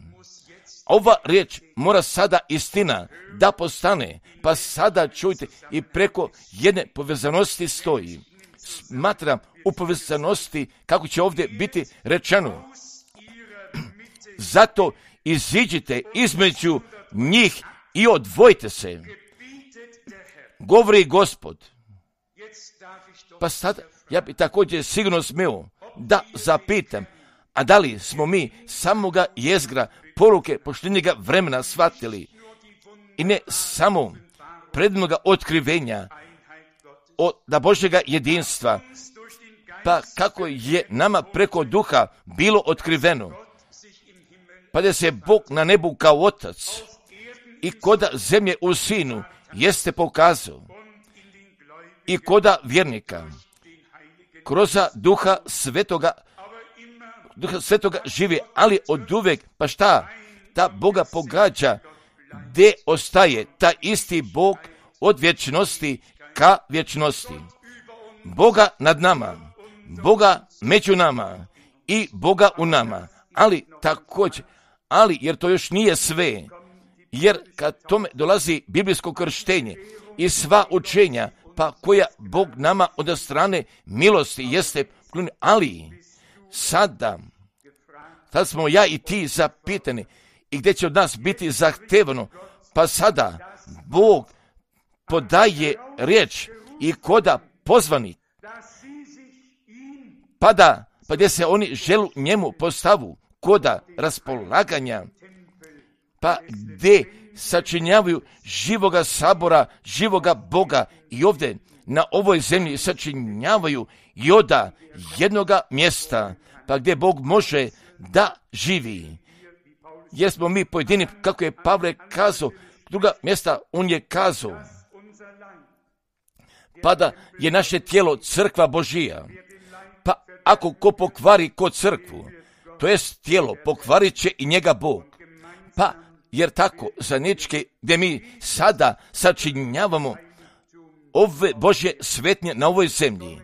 ova riječ mora sada istina da postane, pa sada čujte i preko jedne povezanosti stoji. Smatram u povezanosti kako će ovdje biti rečeno. Zato iziđite između njih i odvojite se, govori Gospod. Pa sada ja bi također sigurno smio da zapitam, a da li smo mi samoga jezgra poruke poštenjega vremena shvatili i ne samo prednoga otkrivenja da Božjega jedinstva, pa kako je nama preko duha bilo otkriveno, pa da se Bog na nebu kao otac i koda zemlje u sinu jeste pokazao i koda vjernika kroz duha svetoga živi, ali od uvek, pa šta, ta Boga pogađa, gdje ostaje ta isti Bog od vječnosti ka vječnosti. Boga nad nama, Boga među nama i Boga u nama, ali također, jer to još nije sve, jer kad tome dolazi biblijsko krštenje i sva učenja, pa koja Bog nama od strane milosti jeste, ali sada smo ja i ti zapitani i gdje će od nas biti zahtevano, pa sada Bog podaje riječ i koda pozvani, pa gdje se oni želu njemu postavu, koda raspolaganja, pa gdje sačinjavaju živoga sabora, živoga Boga i ovdje na ovoj zemlji sačinjavaju i oda jednoga mjesta, pa gdje Bog može da živi. Jer smo mi pojedini, kako je Pavle kazao, druga mjesta on je kazao, pa da je naše tijelo crkva Božija. Pa ako ko pokvari ko crkvu, to jest tijelo, pokvarit će i njega Bog. Pa jer tako zajednički gdje mi sada sačinjavamo ove Božje svetnje na ovoj zemlji,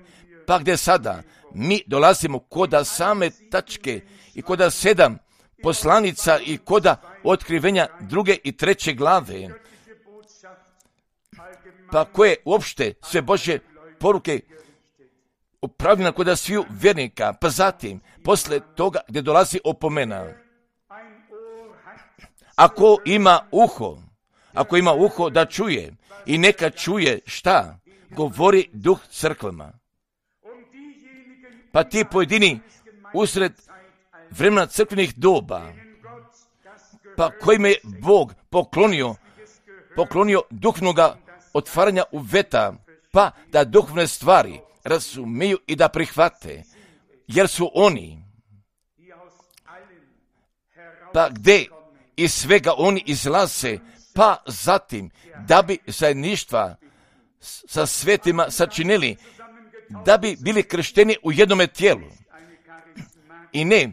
pa gdje sada mi dolazimo koda same tačke i koda 7 poslanica i koda otkrivenja 2. i 3. glave, pa koje uopšte sve Božje poruke upravljena koda sviju vjernika, pa zatim posle toga gdje dolazi opomena. Ako ima uho da čuje i neka čuje šta govori Duh crkvama. Pa ti pojedini usred vremena crkvenih doba, pa kojima je Bog poklonio duhovnoga otvaranja uveta, pa da duhovne stvari razumiju i da prihvate, jer su oni, pa gdje iz svega oni izlaze, pa zatim da bi zajedništva sa svetima sačinili, da bi bili kršteni u jednome tijelu i ne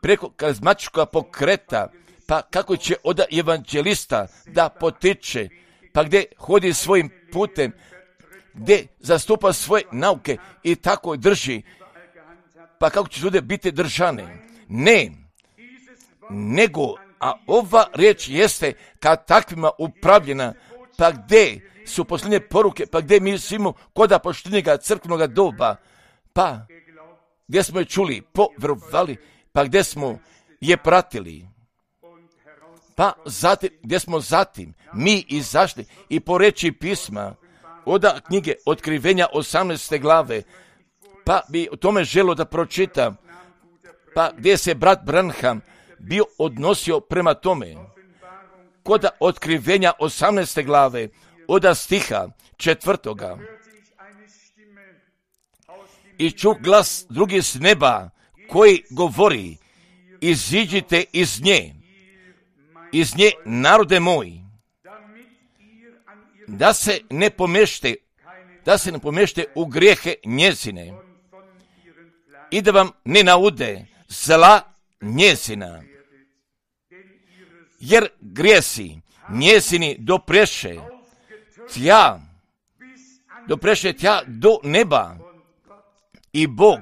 preko karizmatičkog pokreta, pa kako će od evanđelista da potiče, pa gdje hodi svojim putem, gdje zastupa svoje nauke i tako drži, pa kako će ljude biti držane. Ne, nego, a ova riječ jeste kad takvima upravljena, pa gdje su posljednje poruke, pa gdje mi svimo koda poštenjega crkvenoga doba, pa gdje smo je čuli, povjerovali, pa gdje smo je pratili, pa zatim, gdje smo zatim mi izašli i po reči pisma, od knjige Otkrivenja 18. glave, pa bi o tome želo da pročitam, pa gdje se brat Branham bio odnosio prema tome, kod Otkrivenja 18. glave, od stiha 4. I čuh glas drugi s neba, koji govori, iziđite iz nje, narode moji, da se ne pomešte u grijehe njezine i da vam ne naude zla njezina, jer grijesi njezini dopreše tja do neba i Bog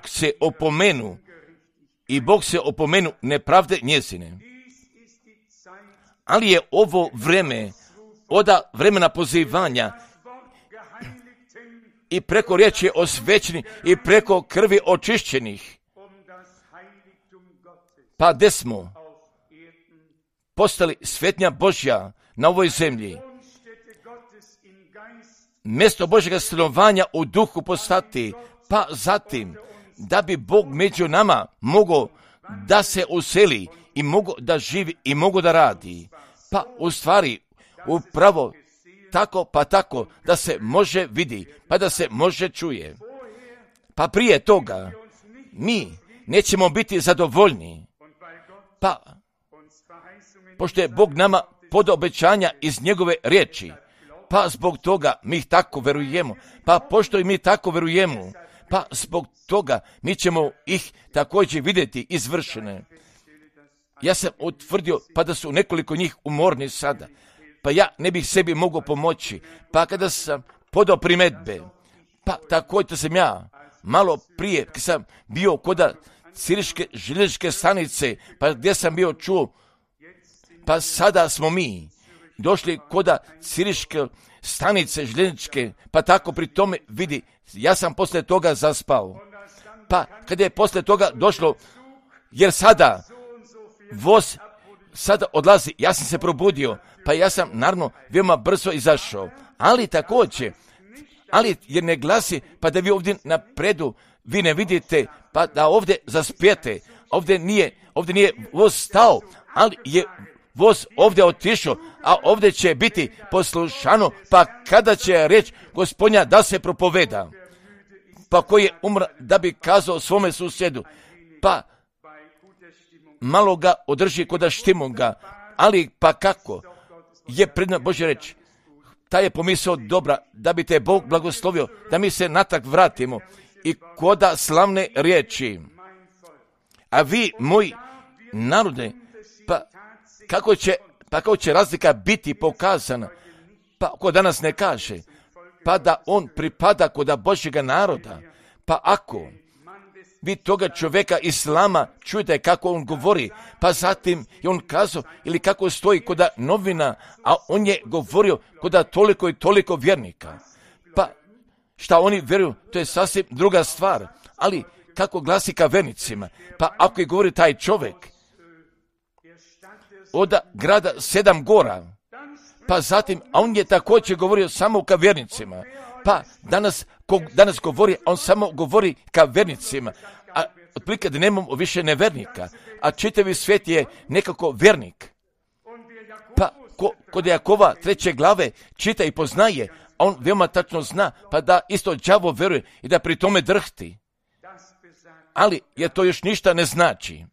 se opomenu nepravde njezine. Ali je ovo vreme od vremena pozivanja i preko riječi osvećenih i preko krvi očišćenih, pa gdje smo postali svetnja Božja na ovoj zemlji, mjesto Božjega stanovanja u duhu postati, pa zatim da bi Bog među nama mogao da se useli i mogao da živi i mogao da radi, pa u stvari upravo tako da se može vidi, pa da se može čuje. Pa prije toga mi nećemo biti zadovoljni, pa pošto je Bog nama podao obećanja iz njegove riječi, pa zbog toga mi tako verujemo, pa pošto i mi tako verujemo, pa zbog toga mi ćemo ih također vidjeti izvršene. Ja sam utvrdio pa da su nekoliko njih umorni sada, pa ja ne bih sebi mogao pomoći, pa kada sam podao primjedbe, pa također sam ja malo prije, kad sam bio kod Siriške željezničke stanice, pa gdje sam bio čuo, pa sada smo mi došli koda Ciriške stanice željezničke, pa tako pri tome vidi, ja sam poslije toga zaspao. Pa kad je poslije toga došlo, jer sada voz sada odlazi, ja sam se probudio, pa ja sam naravno veoma brzo izašao. Ali također, jer ne glasi, pa da vi ovdje napredu, vi ne vidite, pa da ovdje zaspijete. Ovdje nije voz stao, ali je voz ovdje otišao, a ovdje će biti poslušano, pa kada će reći Gospodnja da se propoveda, pa koji je umra da bi kazao svome susjedu, pa malo ga održi koda štimo ga, ali pa kako je predna Božja reč, ta je pomisao dobra, da bi te Bog blagoslovio, da mi se natak vratimo i koda slavne riječi. A vi, moji narode, pa kako će razlika biti pokazana, pa ko danas ne kaže, pa da on pripada koda Božjega naroda, pa ako vi toga čovjeka Islama čujete kako on govori, pa zatim je on kazao, ili kako stoji koda novina, a on je govorio koda toliko i toliko vjernika. Pa šta oni vjeruju, to je sasvim druga stvar, ali kako glasi ka vernicima, pa ako je govori taj čovjek od grada 7 gora, pa zatim, a on je također govorio samo ka vjernicima, pa danas govori, on samo govori ka vernicima, a otprilike da nemamo više nevernika, a čitavi svijet je nekako vernik. Pa kod Jakova 3. glave čita i poznaje, a on veoma tačno zna, pa da isto đavo veruje i da pri tome drhti. Ali jer to još ništa ne znači,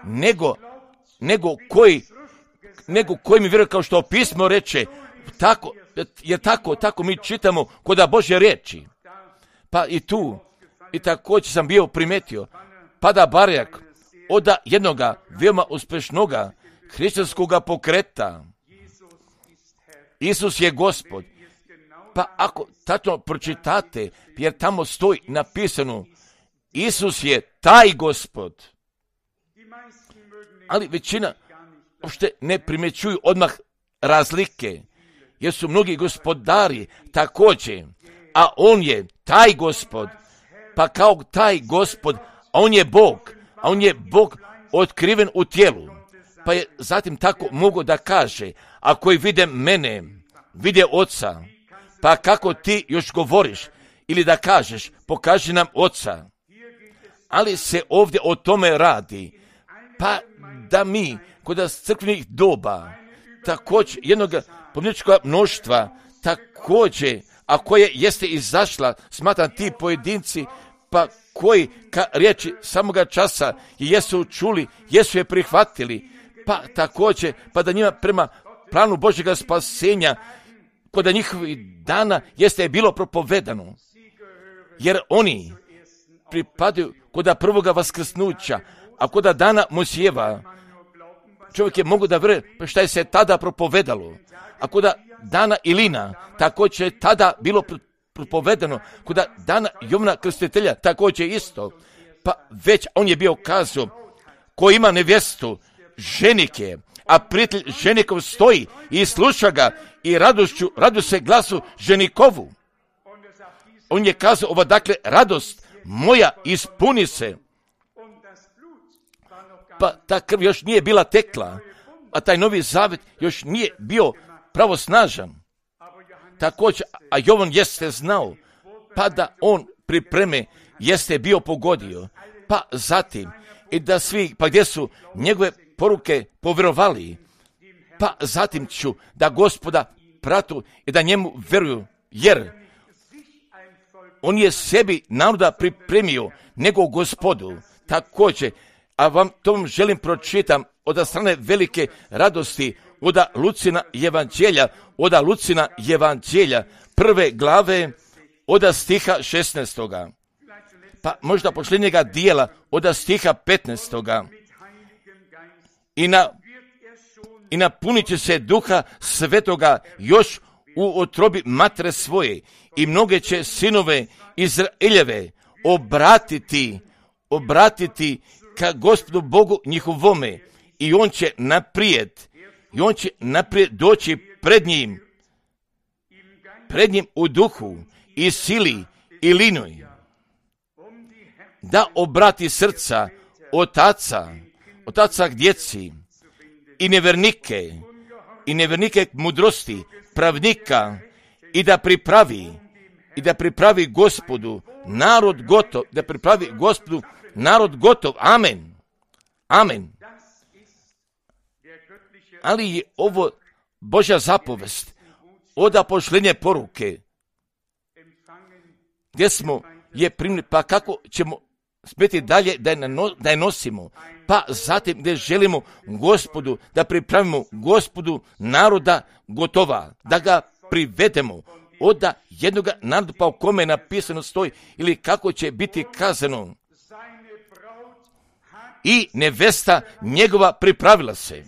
nego koji mi vjeruje, kao što pismo reče, tako mi čitamo koda Božje riječi. Pa i tu, i također sam bio primetio, pada barjak od jednoga veoma uspješnoga hrišćanskoga pokreta. Isus je Gospod. Pa ako tačno pročitate, jer tamo stoji napisano, Isus je taj Gospod. Ali većina uopšte ne primjećuju odmah razlike, jer su mnogi gospodari također, a on je taj Gospod, pa kao taj Gospod, a on je Bog otkriven u tijelu, pa je zatim tako mogu da kaže, a koji vide mene, vide Oca, pa kako ti još govoriš, ili da kažeš, pokaži nam Oca. Ali se ovdje o tome radi, pa da mi kod crkvenih doba, također jednog pomničkog mnoštva, također, a koje jeste izašla, smatram ti pojedinci, pa koji ka riječi samoga časa jesu čuli, jesu je prihvatili, pa također, pa da njima prema planu Božjega spasenja, kod njihovih dana jeste bilo propovedano, jer oni pripadaju kod prvoga vaskrsnuća, a kod dana Mosijeva, čovjek je mogu da vjeruje šta je se tada propovedalo, a kod dana Ilina, također je tada bilo propovedano, kod dana Jovana Krstitelja, također isto, pa već on je bio kazao, ko ima nevjestu, ženik je, a prijatelj ženikov stoji i sluša ga i radu se glasu ženikovu. On je kazao, ova dakle radost moja ispuni se. Pa ta krv još nije bila tekla, a taj novi zavet još nije bio pravosnažan. Također, a Jovan jeste znao, pa da on pripreme jeste bio pogodio, pa zatim i da svi, pa gdje su njegove poruke povjerovali, pa zatim ću da Gospoda pratu i da njemu vjeruju, jer on je sebi naroda pripremio nego Gospodu. Također, a vam to želim pročitam od strane velike radosti od Lucina evanđelja 1. glave od stiha 16. Pa možda posljednjega dijela od stiha 15. I napunit će se Duha Svetoga još u utrobi matere svoje i mnoge će sinove Izraeljeve obratiti ka Gospodu Bogu njihovome i on će naprijed i on će naprijed doći pred njim u duhu i sili i linoj, da obrati srca otaca k djeci i nevernike k mudrosti, pravnika, i da pripravi Gospodu narod gotov, amen. Ali je ovo Božja zapovest od apoštenja poruke, gdje smo je primili, pa kako ćemo smjeti dalje da je nosimo, pa zatim gdje želimo Gospodu, da pripravimo Gospodu naroda gotova, da ga privedemo od jednoga naroda, pa u kome napisano stoji, ili kako će biti kazano, i nevesta njegova pripravila se.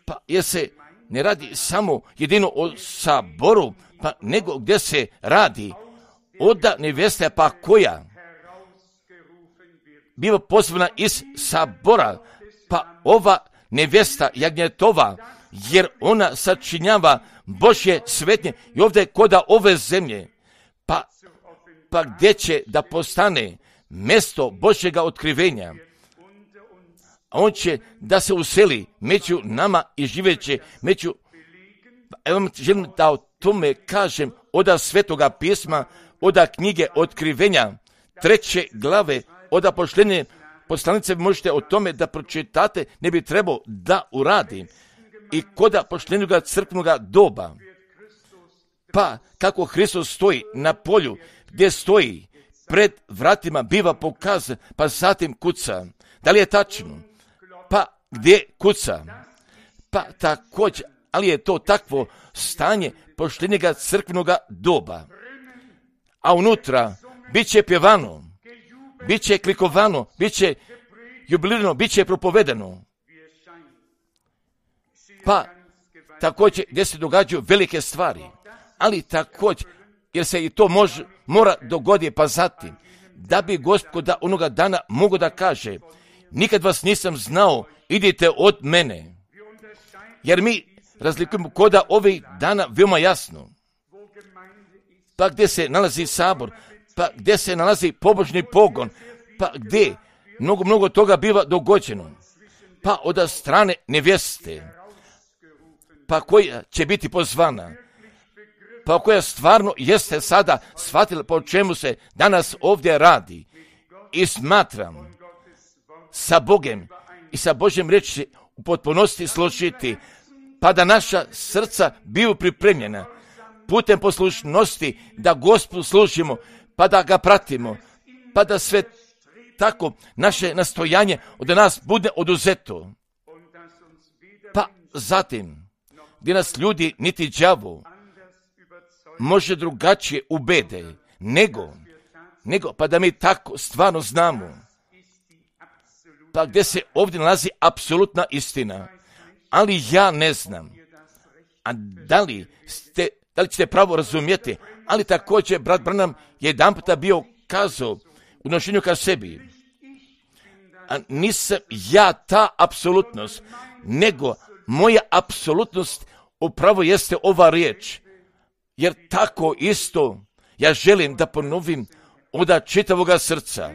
Pa jer se ne radi samo jedino o saboru, pa nego gdje se radi od nevesta, pa koja biva pozvana iz sabora, pa ova nevesta jagnjetova, jer ona sačinjava Božje svetnje i ovdje koda ove zemlje, pa gdje će da postane mjesto Božjega otkrivenja. On će da se useli među nama i živeće među. Evo želim da o tome kažem od Svetoga pisma, od knjige Otkrivenja, 3. glave, od apoštenja poslanice. Možete o tome da pročitate, ne bi trebao da uradi. I kod apoštenjoga crkvenoga doba, pa kako Hristos stoji na polju, gdje stoji pred vratima, biva pokazan, pa zatim kuca. Da li je tačno? Pa gdje kuca? Pa također, ali je to takvo stanje poštenjega crkvenoga doba. A unutra bit će pjevano, bit će klikovano, bit će jubilirano, bit će propovedano. Pa također gdje se događaju velike stvari, ali također jer se i to mora dogoditi, pa zatim da bi Gospoda onoga dana mogo da kaže, nikad vas nisam znao, idite od mene. Jer mi razlikujemo koda ovih dana veoma jasno. Pa gdje se nalazi sabor, pa gdje se nalazi pobožni pogon, pa gdje mnogo toga biva dogođeno. Pa od strane nevjeste, pa koja će biti pozvana, pa koja stvarno jeste sada shvatila po čemu se danas ovdje radi. I smatram sa Bogem i sa Božjem riječi u potpunosti složiti, pa da naša srca biju pripremljena putem poslušnosti, da Gospodu služimo, pa da ga pratimo, pa da sve tako naše nastojanje od nas bude oduzeto. Pa zatim, gdje nas ljudi niti đavo može drugačije ubede, nego pa da mi tako stvarno znamo, pa gdje se ovdje nalazi apsolutna istina. Ali ja ne znam, a da li ćete pravo razumjeti, ali također brat Branham je jedanputa bio kazao u nošenju ka sebi, a nisam ja ta apsolutnost, nego moja apsolutnost upravo jeste ova riječ, jer tako isto ja želim da ponovim od čitavoga srca.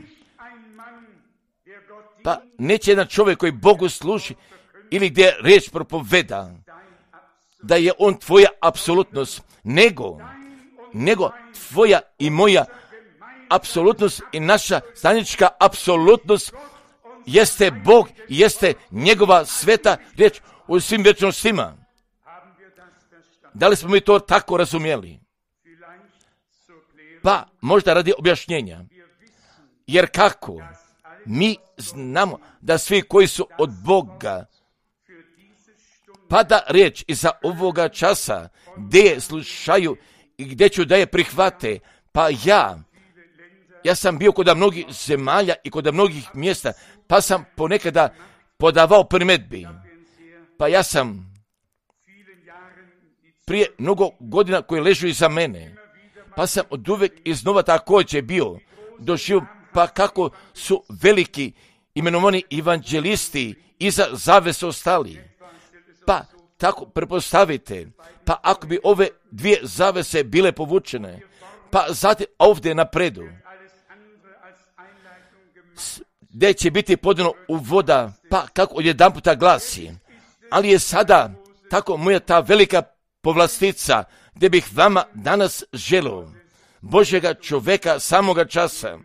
Pa neće jedan čovjek koji Bogu služi ili gdje riječ propoveda, da je on tvoja apsolutnost, nego tvoja i moja apsolutnost i naša zajednička apsolutnost jeste Bog i jeste njegova sveta riječ u svim vječnostima. Da li smo mi to tako razumjeli? Pa možda radi objašnjenja. Jer kako? Mi znamo da svi koji su od Boga, pada riječ iza ovoga časa, gdje je slušaju i gdje ću da je prihvate. Pa ja sam bio kod mnogih zemalja i kod mnogih mjesta, pa sam ponekada podavao primjedbi. Pa ja sam prije mnogo godina koji ležu iza mene, pa sam od uvijek iznova također bio doživio, pa kako su veliki imenovani evanđelisti iza zavese ostali. Pa tako prepostavite, pa ako bi ove dvije zavese bile povučene, pa zatim ovdje napredu, gdje će biti podano u voda, pa kako odjedanputa glasi, ali je sada tako moja ta velika povlastica, gdje bih vama danas želio Božjega čovjeka samoga časa,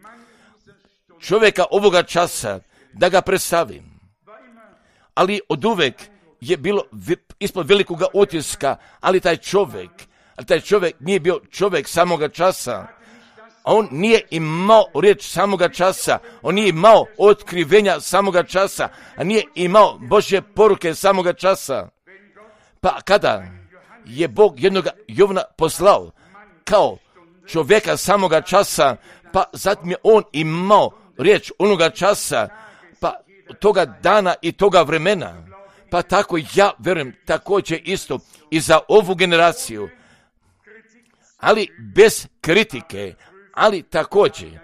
čovjeka ovoga časa, da ga predstavim. Ali oduvek je bilo ispod velikoga utiska, ali taj čovjek nije bio čovjek samoga časa. On nije imao riječ samoga časa, on nije imao otkrivenja samoga časa, a nije imao Božje poruke samoga časa. Pa kada je Bog jednog Jovana poslao kao čovjeka samoga časa, pa zatim je on imao riječ onoga časa, pa toga dana i toga vremena. Pa tako ja verujem također isto i za ovu generaciju, ali bez kritike, ali također,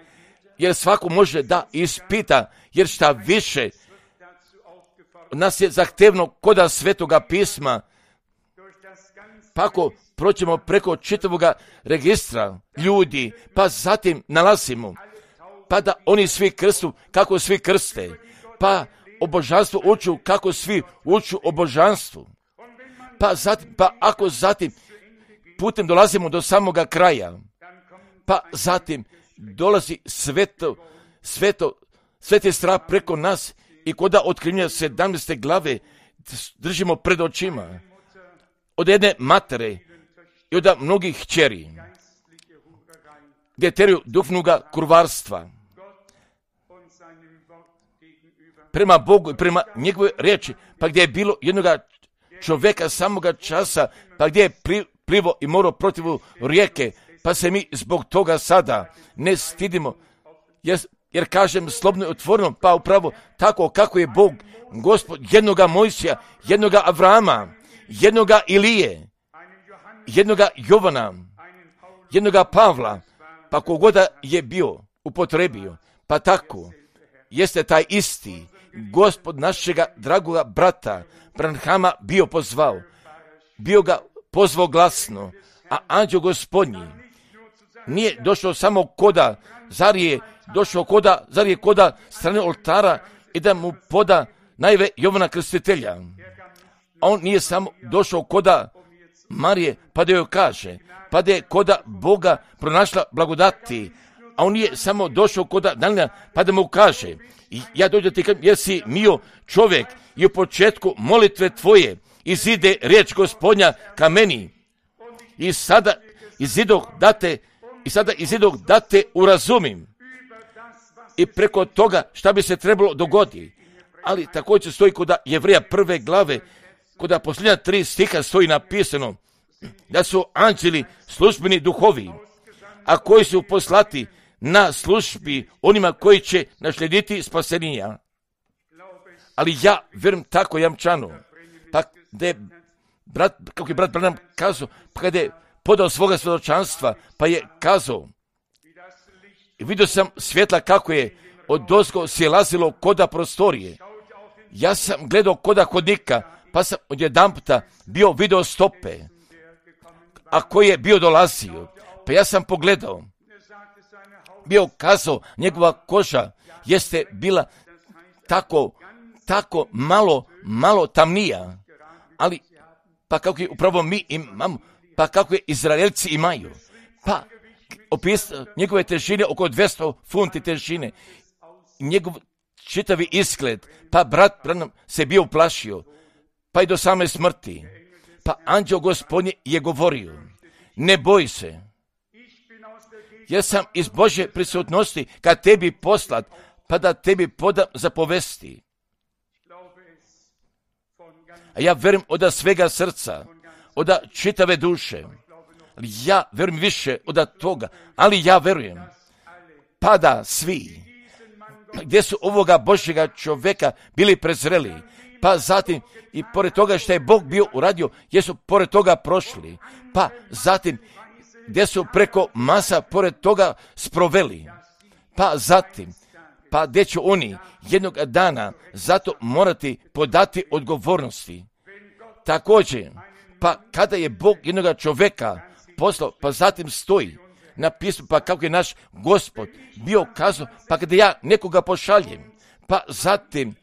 jer svako može da ispita, jer šta više nas je zahtevno koda Svetoga pisma, pa ako proćemo preko čitavoga registra ljudi, pa zatim nalazimo, pa da oni svi krstu kako svi krste, pa o božanstvu uču kako svi uču o božanstvu, pa ako zatim putem dolazimo do samoga kraja, pa zatim dolazi sveti strah preko nas i koda otkrivenja 17. glave držimo pred očima od jedne matere i od mnogih kćeri, gdje teraju duhovnoga kurvarstva prema Bogu i prema njegove riječi, pa gdje je bilo jednoga čovjeka samoga časa, pa gdje je plivo i morao protiv rijeke, pa se mi zbog toga sada ne stidimo, jer kažem slobodno i otvoreno, pa upravo tako kako je Bog, Gospod, jednoga Mojsija, jednoga Avrama, jednoga Ilije, jednoga Jovana, jednoga Pavla, pa kogoda je bio upotrebio, pa tako jeste taj isti Gospod našega dragoga brata Branhama bio pozvao, bio ga pozvao glasno, a anđeo Gospodnji nije došao samo koda, zar je koda strane oltara i da mu poda najve Jovana Krstitelja. A on nije samo došao koda Marije, pa da joj kaže, pa da je koda Boga pronašla blagodati, a on nije samo došao koda Danila, pa da mu kaže, ja dođem ti kažem, jer si mio čovjek i u početku molitve tvoje izide riječ Gospodnja ka meni i sada izidog da te urazumim i preko toga šta bi se trebalo dogoditi. Ali također stoji kod Jevreja 1. glave, kod posljednja 3 stiha stoji napisano da su anđeli službeni duhovi, a koji su poslati na službi onima koji će naslijediti spasenja. Ali ja verujem tako jamčano, pa da je kako je brat Branham kazao, pa kada je podao svoga svjedočanstva, pa je kazao, i vidio sam svjetla kako je odozgo silazilo koda prostorije. Ja sam gledao koda hodnika, pa sam odjedanputa bio video stope, a koji je bio dolazio, pa ja sam pogledao, bio kazao, njegova koža jeste bila tako malo tamnija, ali pa kako je upravo mi imamo, pa kako je Izraelci imaju, pa opisao njegove težine oko 200 funti težine, njegov čitavi izgled, pa brat Branham se bio uplašio, pa i do same smrti, pa anđeo Gospodnji je govorio, ne boj se, jer sam iz Božje prisutnosti ka tebi poslat, pa da tebi podam zapovesti. A ja verujem od svega srca, od čitave duše, ali ja verujem više od toga, ali ja verujem, pa da svi, gdje su ovoga Božjega čovjeka bili prezreli, pa zatim i pored toga što je Bog bio uradio, jesu pored toga prošli, pa zatim gdje su preko masa pored toga sproveli, pa zatim, pa gdje će oni jednog dana zato morati podati odgovornosti. također, pa kada je Bog jednog čovjeka poslao, pa zatim stoji na pismu, pa kako je naš Gospod bio kazao, pa kada ja nekoga pošaljem, pa zatim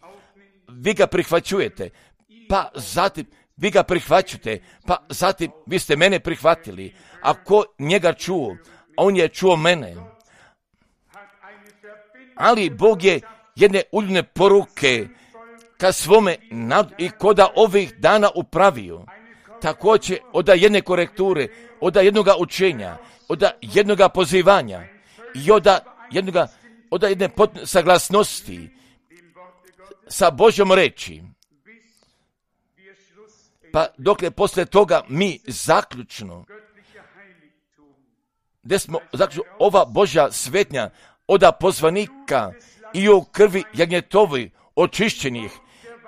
vi ga prihvaćujete, pa zatim vi ga prihvaćate, pa zatim vi ste mene prihvatili. Ako njega čuo, on je čuo mene. Ali Bog je jedne uljne poruke ka svome narodu i koda ovih dana upravio. Također od jedne korekture, od jednoga učenja, od jednoga pozivanja i od jedne saglasnosti sa Božjom reči. Pa dokle posle toga mi zaključno, gdje smo zaključno ova Božja svetnja od pozvanika i u krvi jagnjetovi očišćenih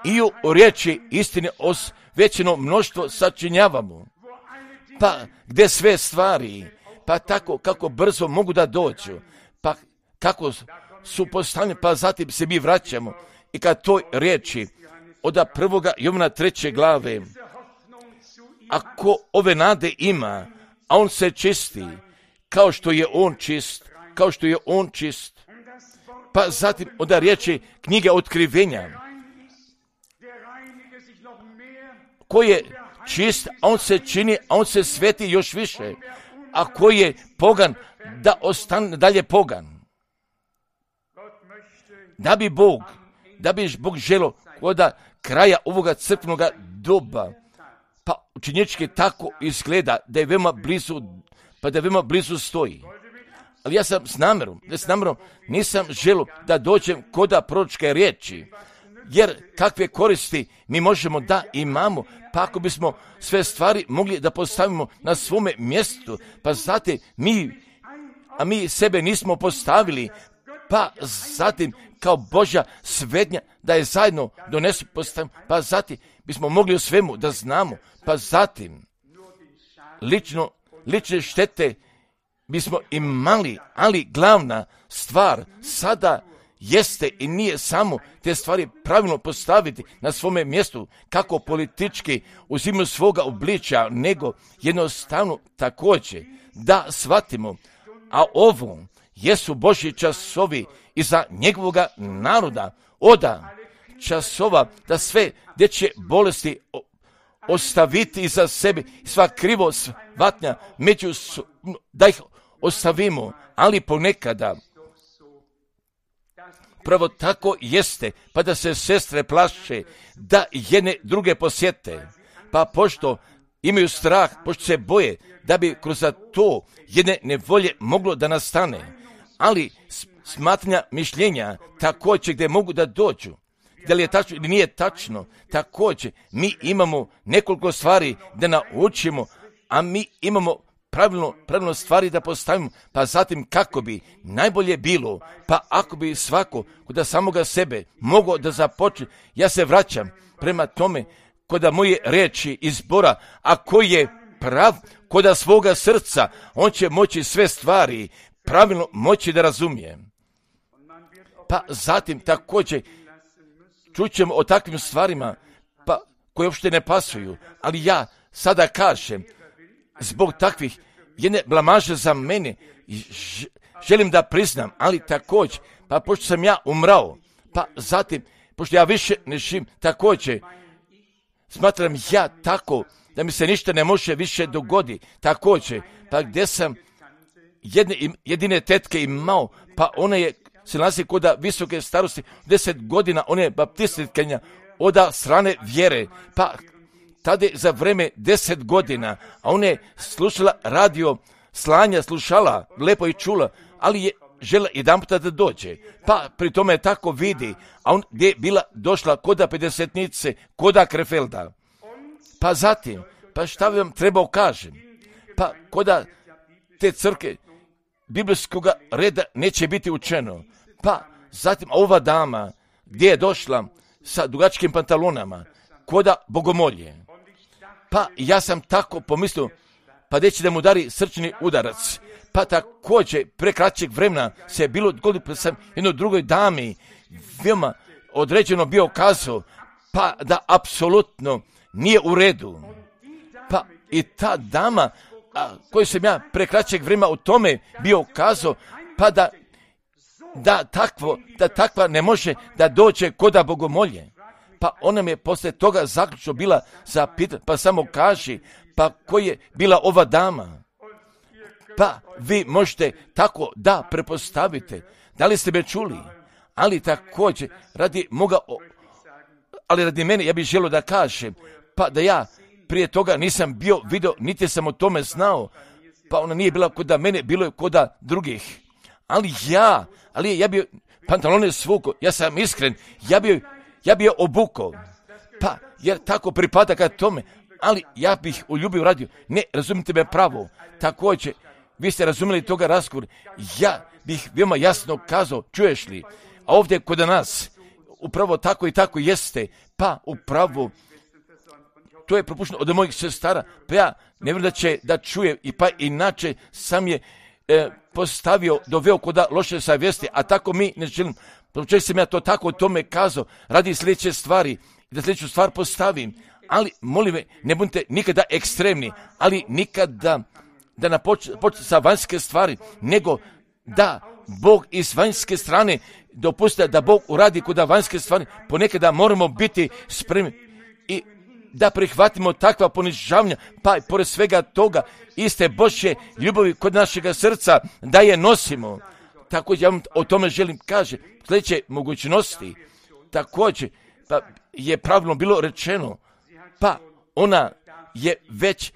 i u riječi istine osvećeno mnoštvo sačinjavamo. Pa gdje sve stvari, pa tako kako brzo mogu da dođu, pa kako su postavljene, pa zatim se mi vraćamo i kad toj riječi od 1. Jovana 3. glave, ako ove nade ima, a on se čisti, kao što je on čist, pa zatim od riječi knjige otkrivenja, ko je čist, a on se čini, a on se sveti još više, a ko je pogan, da ostane dalje pogan. Da bi Bog želio kod kraja ovoga crkvenog doba, pa učenječki tako izgleda da je veoma blizu stoji. Ali ja sam s namjerom nisam želio da dođem kod proročke riječi, jer kakve koristi mi možemo da imamo, pa ako bismo sve stvari mogli da postavimo na svome mjestu, pa zatim mi sebe nismo postavili, pa zatim kao Božja svetnja da je zajedno donesu postavimo, pa zatim bismo mogli u svemu da znamo, pa zatim lične štete bismo imali, ali glavna stvar sada jeste i nije samo te stvari pravilno postaviti na svome mjestu kako politički uzimaju svoga obličja, nego jednostavno također da shvatimo, a ovo jesu Božji časovi i za njegovoga naroda, oda časova da sve dječje bolesti ostaviti iza sebe, sva krivo shvatnja da ih ostavimo, ali ponekada pravo tako jeste, pa da se sestre plaše da jedne druge posjete, pa pošto imaju strah, pošto se boje da bi kroz to jedne nevolje moglo da nastane, ali smatranja mišljenja također gdje mogu da dođu, da li je tačno ili nije tačno, također mi imamo nekoliko stvari da naučimo, a mi imamo pravilno stvari da postavimo, pa zatim kako bi najbolje bilo, pa ako bi svako kod samoga sebe mogao da započne, ja se vraćam prema tome kod moje riječi izbora, a koji je prav kod svoga srca, on će moći sve stvari pravilno moći da razumije. Pa zatim također čućemo o takvim stvarima pa koje uopšte ne pasuju, ali ja sada kažem, zbog takvih jedne blamaže za mene želim da priznam, ali također, pa pošto sam ja umrao, pa zatim, pošto ja više ne živim, također, smatram ja tako da mi se ništa ne može više dogoditi, također, pa gdje sam jedine tetke imao, pa ona je se nalazi kod visoke starosti, 10 godina, ona je baptistkinja od strane vjere, pa tada za vreme 10 godina, a ona je slušala radio, slanja, slušala, lepo i čula, ali je žela jedan puta da dođe. Pa pri tome je tako vidi, a on gdje je bila došla koda 50-nice, koda Krefelda. Pa zatim, pa šta vam trebao kažem? Pa koda te crke biblijskog reda neće biti učeno. Pa zatim ova dama gdje je došla sa dugačkim pantalonama, koda bogomolje. Pa ja sam tako pomislio, pa gdje će da mu udari srčani udarac. Pa također pre kraćeg vremena se je bilo dogodilo, pa sam jednoj drugoj dami veoma određeno bio kazao, pa da apsolutno nije u redu. Pa i ta dama koju sam ja pre kraćeg vremena o tome bio kazao, pa da takva ne može da dođe koda bogomolje. Pa ona mi je posle toga zaključno bila zapitana, pa samo kaži, pa ko je bila ova dama? Pa vi možete tako da prepostavite. Da li ste me čuli? Ali također, radi mene, ja bih želio da kažem, pa da ja prije toga nisam bio vidio, niti sam o tome znao, pa ona nije bila kod mene, bilo je kod drugih. Ali ja bio pantalone svuko, ja sam iskren, ja bio obukao, pa jer tako pripada ka tome, ali ja bih uljubio radio. Ne, razumite me pravo, također, vi ste razumjeli toga razgovora, ja bih veoma jasno kazao, čuješ li, a ovdje kod nas, upravo tako i tako jeste, pa upravo, to je propušteno od mojih sestara, pa ja ne vjerujem da će da čuje, i pa inače sam je doveo kod loše savjesti, a tako mi ne želim. Počeo sam ja to tako o tome kazao, radi sljedeće stvari, da sljedeću stvar postavim, ali molim me, ne budite nikada ekstremni, ali nikada da napočne sa vanjske stvari, nego da Bog iz vanjske strane dopusti da Bog uradi kod vanjske stvari. Ponekada moramo biti spremni i da prihvatimo takva ponižavanja, pa i pored svega toga iste Božje ljubavi kod našega srca da je nosimo. Također ja vam o tome želim kaže, sljedeće mogućnosti, također pa je pravilno bilo rečeno, pa ona je već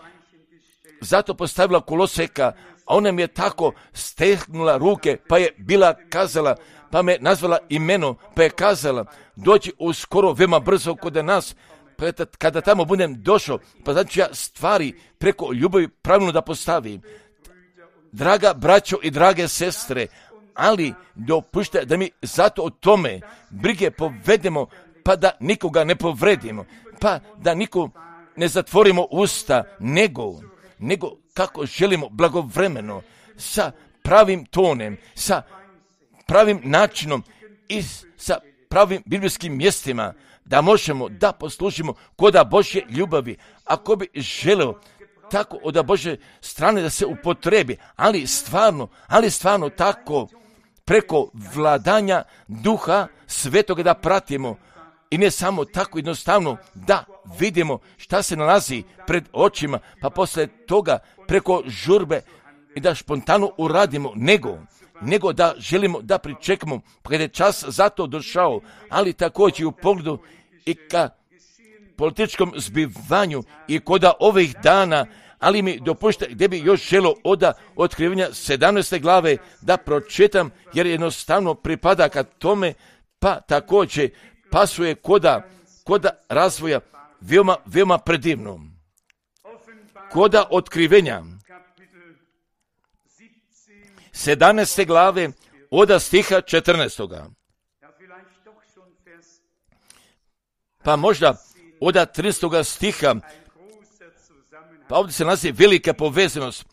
zato postavila koloseka, a ona mi je tako stehnula ruke, pa je bila kazala, pa me nazvala imeno, pa je kazala, dođi uskoro veoma brzo kod nas, pa kada tamo budem došao, pa znači ja stvari preko ljubavi pravilno da postavim. Draga braćo i drage sestre, ali dopušte da mi zato o tome brige povedemo, pa da nikoga ne povredimo, pa da nikom ne zatvorimo usta, nego kako želimo blagovremeno, sa pravim tonem, sa pravim načinom i sa pravim biblijskim mjestima, da možemo da poslužimo koda Božje ljubavi. Ako bi želeo tako od Božje strane da se upotrebi, ali stvarno tako preko vladanja Duha Svetoga da pratimo i ne samo tako jednostavno da vidimo šta se nalazi pred očima, pa posle toga preko žurbe i da spontano uradimo, nego da želimo da pričekamo kada je čas za to došao, ali također u pogledu i ka političkom zbivanju i koda ovih dana, ali mi dopušte gdje bi još želio od otkrivanja 17. glave da pročitam, jer jednostavno pripada ka tome, pa također pasuje koda razvoja veoma predivno. Koda otkrivenja 17. glave od stiha 14. Pa možda od 13. stiha, pa ovdje se nalazi velika povezanost.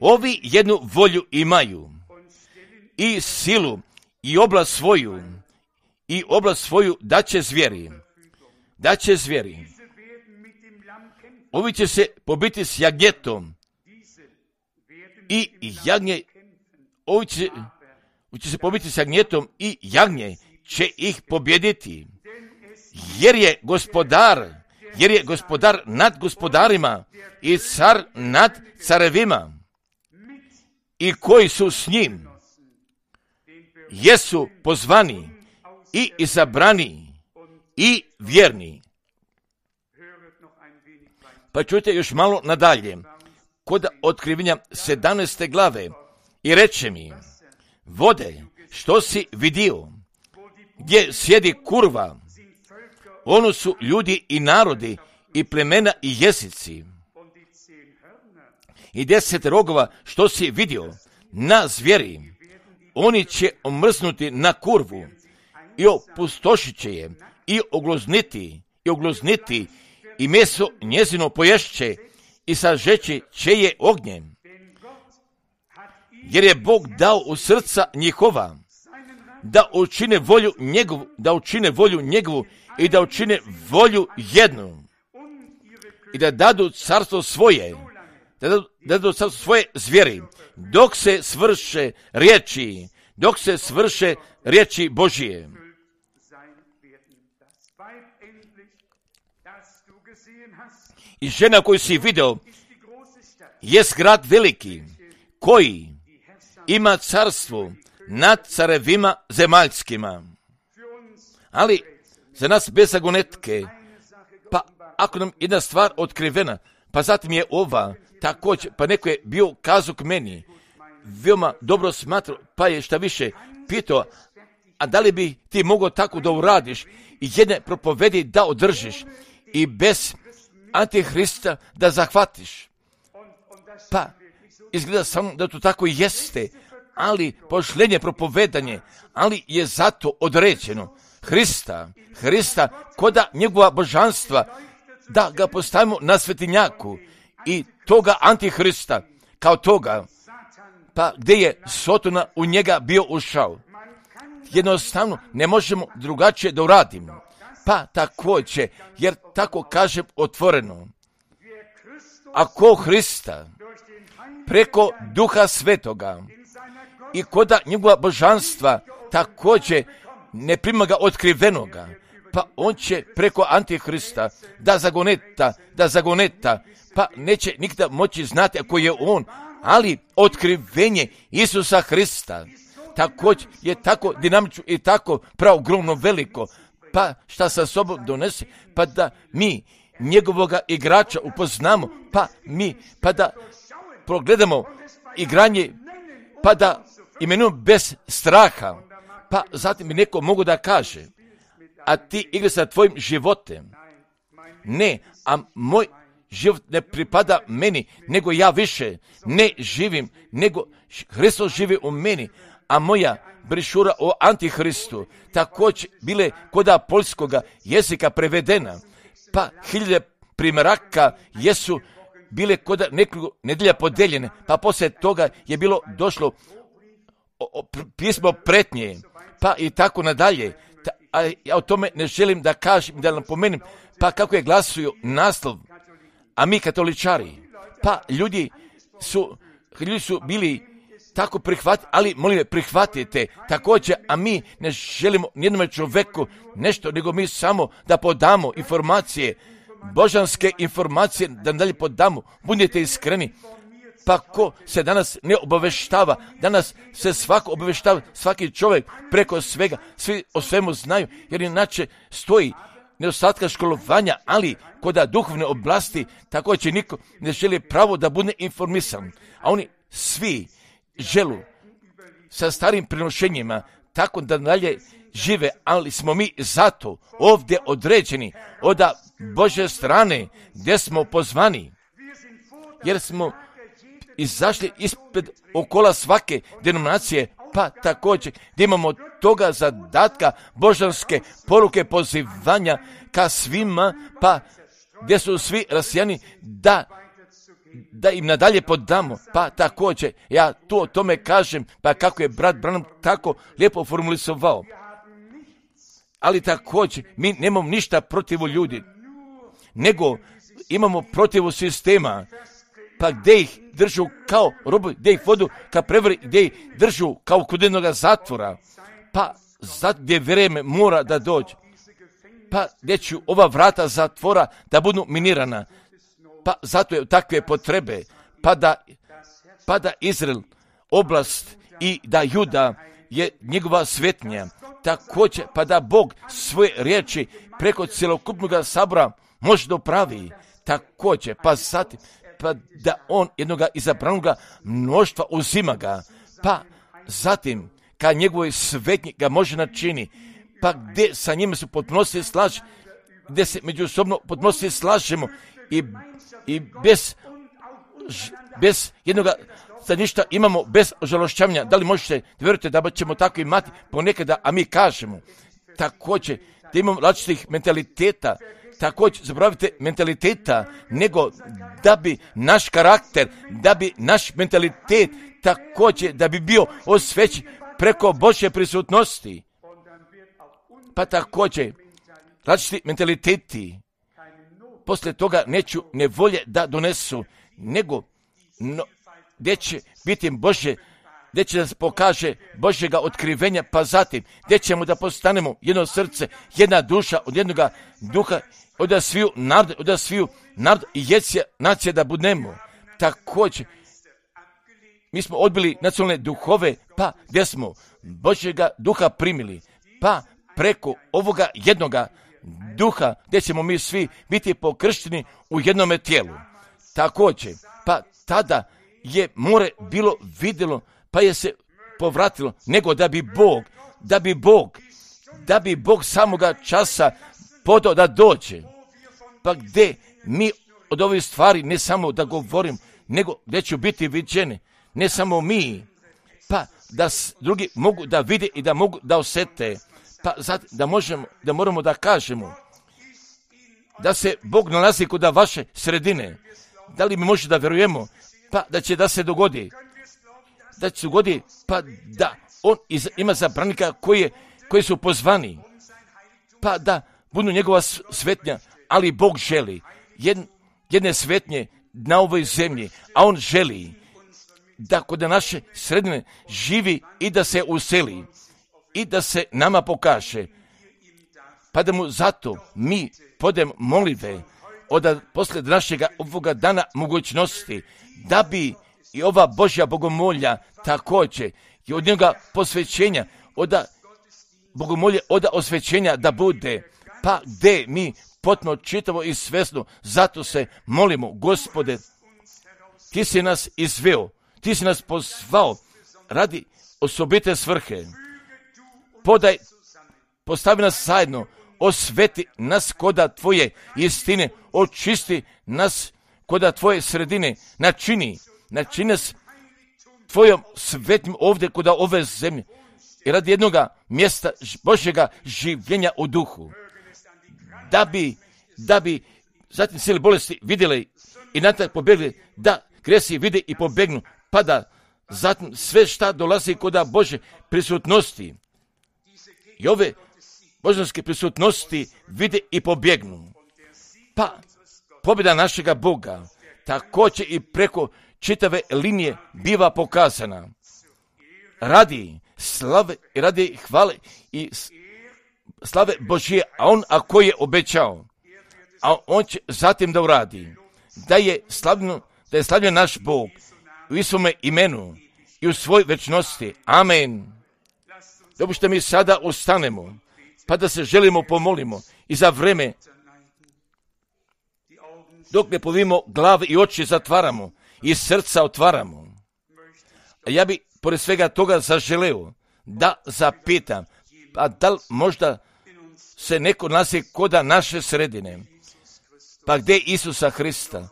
Ovi jednu volju imaju i silu i oblast svoju daće zvijeri. Ovi će se pobiti s jagnjetom i jagnje, ovi će se pobiti s jagnjetom i jagnje će ih pobjediti, jer je gospodar nad gospodarima i car nad carevima, i koji su s njim jesu pozvani i izabrani i vjerni. Pa čujte još malo nadalje, kod otkrivenja 17. glave, i reče mi, vode, što si vidio, gdje sjedi kurva, ono su ljudi i narodi i plemena i jezici. I 10 rogova, što si vidio, na zvijeri, oni će omrznuti na kurvu i opustošit će je i oglozniti i meso njezino poješće i sažeći će je ognjem. Jer je Bog dao u srca njihova da učine volju njegovu i da učine volju jednu. i da dadu carstvo svoje, da dadu carstvo svoje zvijeri, dok se svrše riječi Božije. I žena koju si video jest grad veliki, koji ima carstvo nad carevima zemaljskima. Ali za nas bez zagonetke, pa ako nam jedna stvar otkrivena, pa zatim je ova također, pa neko je bio kazao k meni, veoma dobro smatrao, pa je šta više pitao, a da li bi ti mogao tako da uradiš i jedne propovedi da održiš i bez Antihrista da zahvatiš. Pa izgleda samo da to tako jeste, ali pošlenje propovedanje, ali je zato određeno Hrista koda njegova božanstva, da ga postavimo na svetinjaku i toga Antihrista kao toga, pa gdje je Sotona u njega bio ušao. Jednostavno ne možemo drugačije da uradimo. Pa također, jer tako kažem otvoreno, ako Hrista preko Duha Svetoga i koda njegova božanstva također ne prima ga otkrivenoga, pa on će preko Antihrista da zagoneta, pa neće nikada moći znati ako je on, ali otkrivenje Isusa Hrista također je tako dinamično i tako preogromno veliko, pa šta sa sobom donese, pa da mi njegovoga igrača upoznamo, pa da progledamo igranje, pa da imenujemo bez straha, pa zatim bi neko mogu da kaže, a ti igra sa tvojim životem. Ne, a moj život ne pripada meni, nego ja više ne živim, nego Hristos živi u meni, a moja brišura o Antihristu također bile koda poljskoga jezika prevedena, pa 1000 primjeraka jesu bile koda nekoliko nedelja podeljene, pa poslije toga je bilo došlo pismo pretnje, pa i tako nadalje. A ja o tome ne želim da kažem, da napomenem, pa kako je glasuju naslov, a mi katoličari, pa ljudi su bili tako prihvatiti, ali molim me prihvatite također, a mi ne želimo nijednom čovjeku nešto, nego mi samo da podamo informacije, božanske informacije, da dalje podamo, budite iskreni. Pa ko se danas ne obaveštava, danas se svako obaveštava, svaki čovjek preko svega, svi o svemu znaju, jer inače stoji nedostatka školovanja, ali koda duhovne oblasti također niko ne želi pravo da bude informisan, a oni svi želu sa starim prenošenjima tako da dalje žive, ali smo mi zato ovdje određeni od Božje strane gdje smo pozvani, jer smo izašli ispred okola svake denominacije, pa također gdje imamo toga zadatka božanske poruke pozivanja ka svima, pa gdje su svi rasijani da im nadalje podamo, pa također ja tu o tome kažem, pa kako je brat Branham tako lijepo formulisovao. Ali također mi nemamo ništa protiv ljudi, nego imamo protiv sistema, pa gdje ih držu kao robovi, gdje ih vodu ka prevari, gdje ih držu kao kod jednoga zatvora, pa zato gdje vrijeme mora da dođe, pa gdje će ova vrata zatvora da budu minirana, pa zato je takve potrebe, pa da Izrael oblast i da Juda je njegova svetnja, također pa da Bog svoje riječi preko cjelokupnog sabora može dopravi, također pa zatim pa da on jednoga izabranoga mnoštva uzima ga, pa zatim kad njegovoj svetnji ga može načini, pa gdje sa njima se potpunosti slaže, gdje se međusobno potpunosti slažemo i bez jednoga staništa imamo bez ožalošćavanja. Da li možete vjerujete da ćemo tako imati ponekada, a mi kažemo također da imamo različitih mentaliteta, također zaboravite mentaliteta, nego da bi naš karakter, da bi naš mentalitet također da bi bio osvećen preko Božje prisutnosti. Pa također različiti mentaliteti poslije toga neću nevolje da donesu, nego gdje će biti Božje, gdje će nas pokaže Božjega otkrivenja, pa zatim gdje ćemo da postanemo jedno srce, jedna duša, od jednoga duha, od sviju narod i nacija da budemo. Također, mi smo odbili nacionalne duhove, pa gdje smo Božjega duha primili, pa preko ovoga jednoga duha, gdje ćemo mi svi biti pokršteni u jednome tijelu. Također, pa tada je more bilo vidjelo, pa je se povratilo, nego da bi Bog samoga časa podao da dođe. Pa gdje mi od ovih stvari ne samo da govorim, nego gdje ću biti viđeni, ne samo mi, pa da drugi mogu da vide i da mogu da osjete, pa da moramo da kažemo da se Bog nalazi kod vaše sredine. Da li mi može da vjerujemo, pa da će da se dogodi, pa da on ima zabranika koji su pozvani, pa da budu njegova svetnja, ali Bog želi jedne svetnje na ovoj zemlji, a on želi da kod naše sredine živi i da se useli i da se nama pokaže, pa da mu zato mi podem molitve od poslije našega ovoga dana mogućnosti, da bi i ova Božja bogomolja također i od njega posvećenja, od bogomolje, od osvećenja da bude, pa gdje mi potpuno čitavo i svjesno, zato se molimo, Gospode, ti si nas izveo, ti si nas pozvao radi osobite svrhe. Postavi nas zajedno, osveti nas koda tvoje istine, očisti nas koda tvoje sredine, načini nas tvojom svetnim ovdje koda ove zemlje i radi jednoga mjesta Božjega življenja u duhu. Da bi zatim sile bolesti vidjeli i natrag pobjegli, da gresi vide i pobegnu, pa da zatim sve šta dolazi koda Bože prisutnosti i ove božanske prisutnosti vide i pobjegnu. Pa pobjeda našega Boga također i preko čitave linije biva pokazana. Radi slave i radi hvale i slave Božije, a on ako je obećao, a on će zatim da uradi, da je slavljen naš Bog u svome imenu i u svoj večnosti. Amen. Dopušte mi sada ustanemo, pa da se želimo pomolimo i za vreme dok ne povimo glave i oči zatvaramo i srca otvaramo. A ja bi pored svega toga zaželeo da zapitam, pa da li možda se neko nalazi koda naše sredine, pa gdje Isusa Hrista,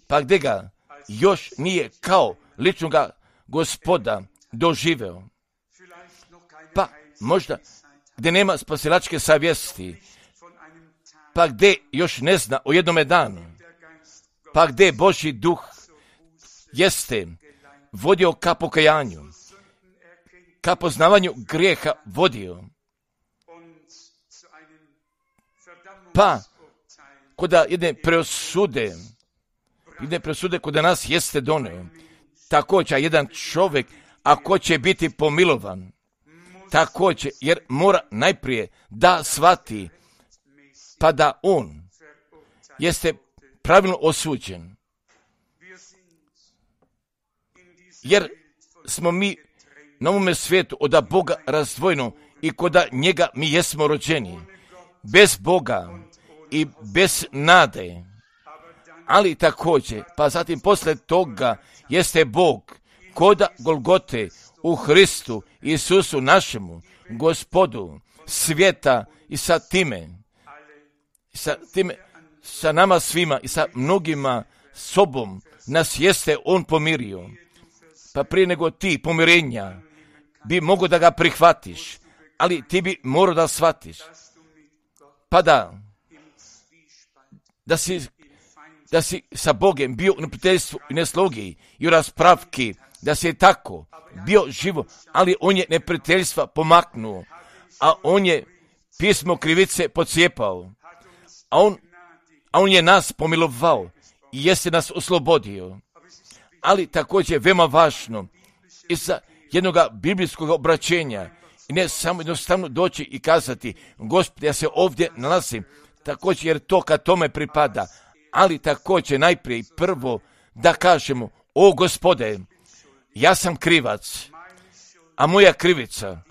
pa gdje ga još nije kao ličnoga Gospoda doživeo, pa možda gdje nema spasilačke savjesti, pa gdje još ne zna o jednome danu, pa gdje Božji duh jeste vodio ka pokajanju, ka poznavanju grijeha vodio, pa koda jedne presude koda nas jeste doneo, također jedan čovjek ako će biti pomilovan, također jer mora najprije da shvati, pa da on jeste pravilno osuđen, jer smo mi na ovome svijetu od Boga razdvojeno i koda njega mi jesmo rođeni bez Boga i bez nade, ali također pa zatim posle toga jeste Bog koda Golgote u Hristu Isusu našemu Gospodu svijeta i sa nama svima i sa mnogima sobom nas jeste on pomirio. Pa prije nego ti pomirenja bi mogo da ga prihvatiš, ali ti bi morao da shvatiš, pa da si sa Bogem bio u neprijateljstvu i neslogiji i u raspravki, da si je tako bio živo, ali on je neprijateljstva pomaknuo, a on je pismo krivice pocijepao, a on a on je nas pomilovao i jeste nas oslobodio. Ali također veoma važno iza jednog biblijskog obraćenja i ne samo jednostavno doći i kazati Gospod, ja se ovdje nalazim, također jer to kad tome pripada, ali također najprije prvo da kažemo, o Gospode, ja sam krivac, a moja krivica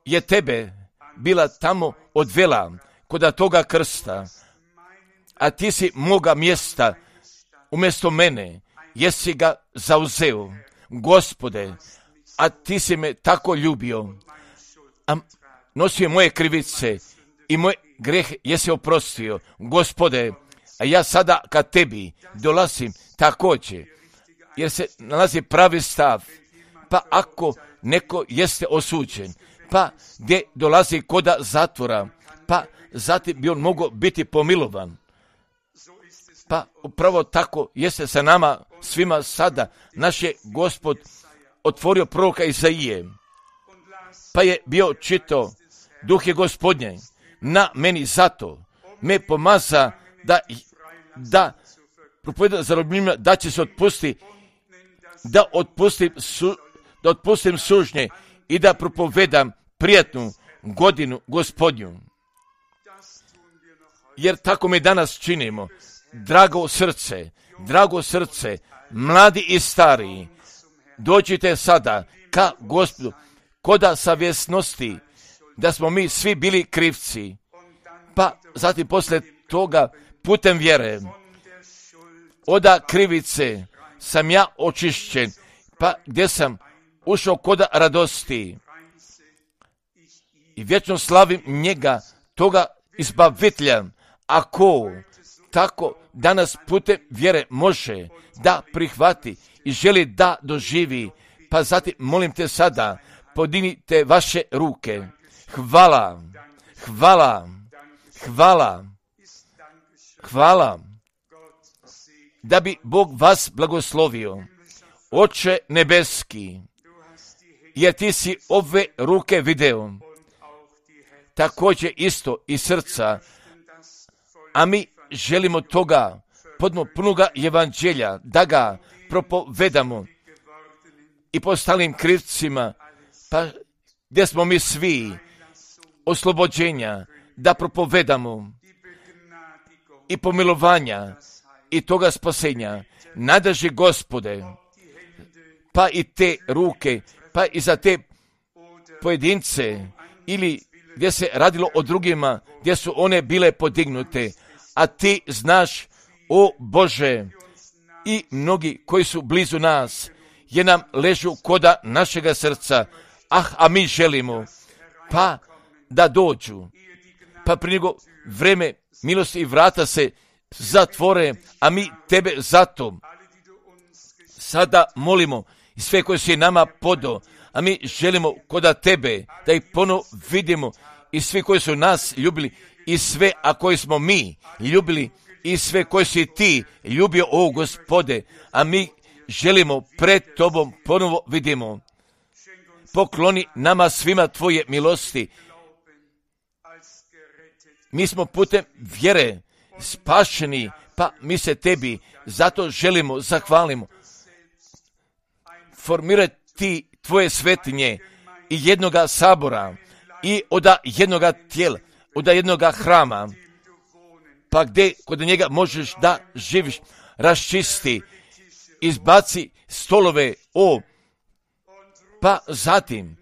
je tebe bila tamo odvela kod toga krsta, a ti si moga mjesta umjesto mene, jesi ga zauzeo, Gospode, a ti si me tako ljubio, a nosio moje krivice i moj greh jesi oprostio, Gospode, a ja sada kad tebi dolazim također, jer se nalazi pravi stav, pa ako neko jeste osuđen, pa gdje dolazi koda zatvora, pa zatim bi on mogao biti pomilovan. Pa upravo tako jeste sa nama svima sada. Naš je Gospod otvorio proroka Izaije, pa je bio čitao, Duh je Gospodnje na meni, zato me pomaza da propovjedam zarobljenima, da će se otpustiti, da otpustim sužnje i da propovedam prijatnu godinu Gospodnju. Jer tako mi danas činimo. Drago srce, mladi i stariji, dođite sada ka Gospodu, koda savjesnosti, da smo mi svi bili krivci, pa zatim poslije toga putem vjere od krivice sam ja očišćen, pa gdje sam ušao koda radosti i vječno slavim njega, toga izbavitelja. Ako tako danas putem vjere može da prihvati i želi da doživi, pa zatim molim te sada, podignite vaše ruke. Hvala, da bi Bog vas blagoslovio. Oče nebeski, jer ti si ove ruke video, također isto i srca, a mi želimo toga punoga evanđelja, da ga propovedamo i po ostalim krivcima, pa gdje smo mi svi oslobođenja, da propovedamo i pomilovanja i toga spasenja. Nadaži Gospode, pa i te ruke, pa i za te pojedince ili gdje se radilo o drugima, gdje su one bile podignute, a ti znaš, o Bože, i mnogi koji su blizu nas, jer nam ležu koda našega srca, a mi želimo, pa da dođu, pa prije nego vreme milosti i vrata se zatvore, a mi tebe zato sada molimo i sve koje si nama podao, a mi želimo koda tebe da ih ponovo vidimo i svi koji su nas ljubili i sve, a koji smo mi ljubili i sve koji si ti ljubio, o Gospode, a mi želimo pred tobom ponovo vidimo. Pokloni nama svima tvoje milosti. Mi smo putem vjere spašeni, pa mi se tebi zato želimo, zahvalimo. Formirati tvoje svetinje i jednoga sabora i od jednoga tijela, od jednoga hrama, pa gdje kod njega možeš da živiš, raščisti, izbaci stolove, pa zatim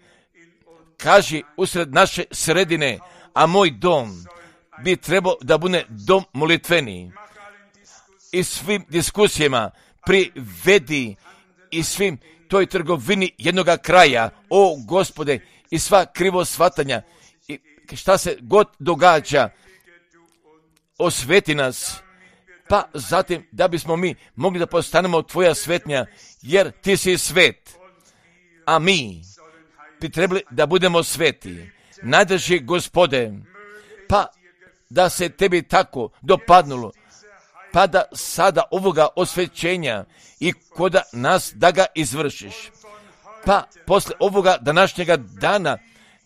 kaži usred naše sredine, a moj dom bi trebao da bude dom molitveni. I svim diskusijama privedi i svim toj trgovini jednoga kraja, o Gospode, i sva krivo shvatanja i šta se god događa, osveti nas, pa zatim da bismo mi mogli da postanemo tvoja svetnja, jer ti si svet, a mi bi trebali da budemo sveti. Nadrži Gospode, pa da se tebi tako dopadnulo, pa da sada ovoga osvećenja i koda nas da ga izvršiš. Pa posle ovoga današnjega dana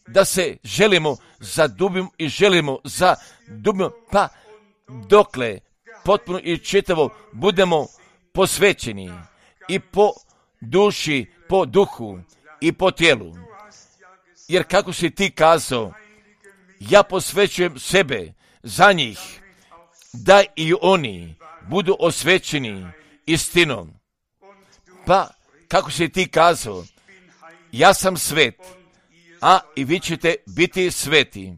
da se želimo zadubimo i želimo zadubimo, pa dokle potpuno i čitavo budemo posvećeni i po duši, po duhu i po tijelu. Jer kako si ti kazao, ja posvećujem sebe za njih, da i oni budu osvećeni istinom. Pa, kako si ti kazao, ja sam svet, a i vi ćete biti sveti.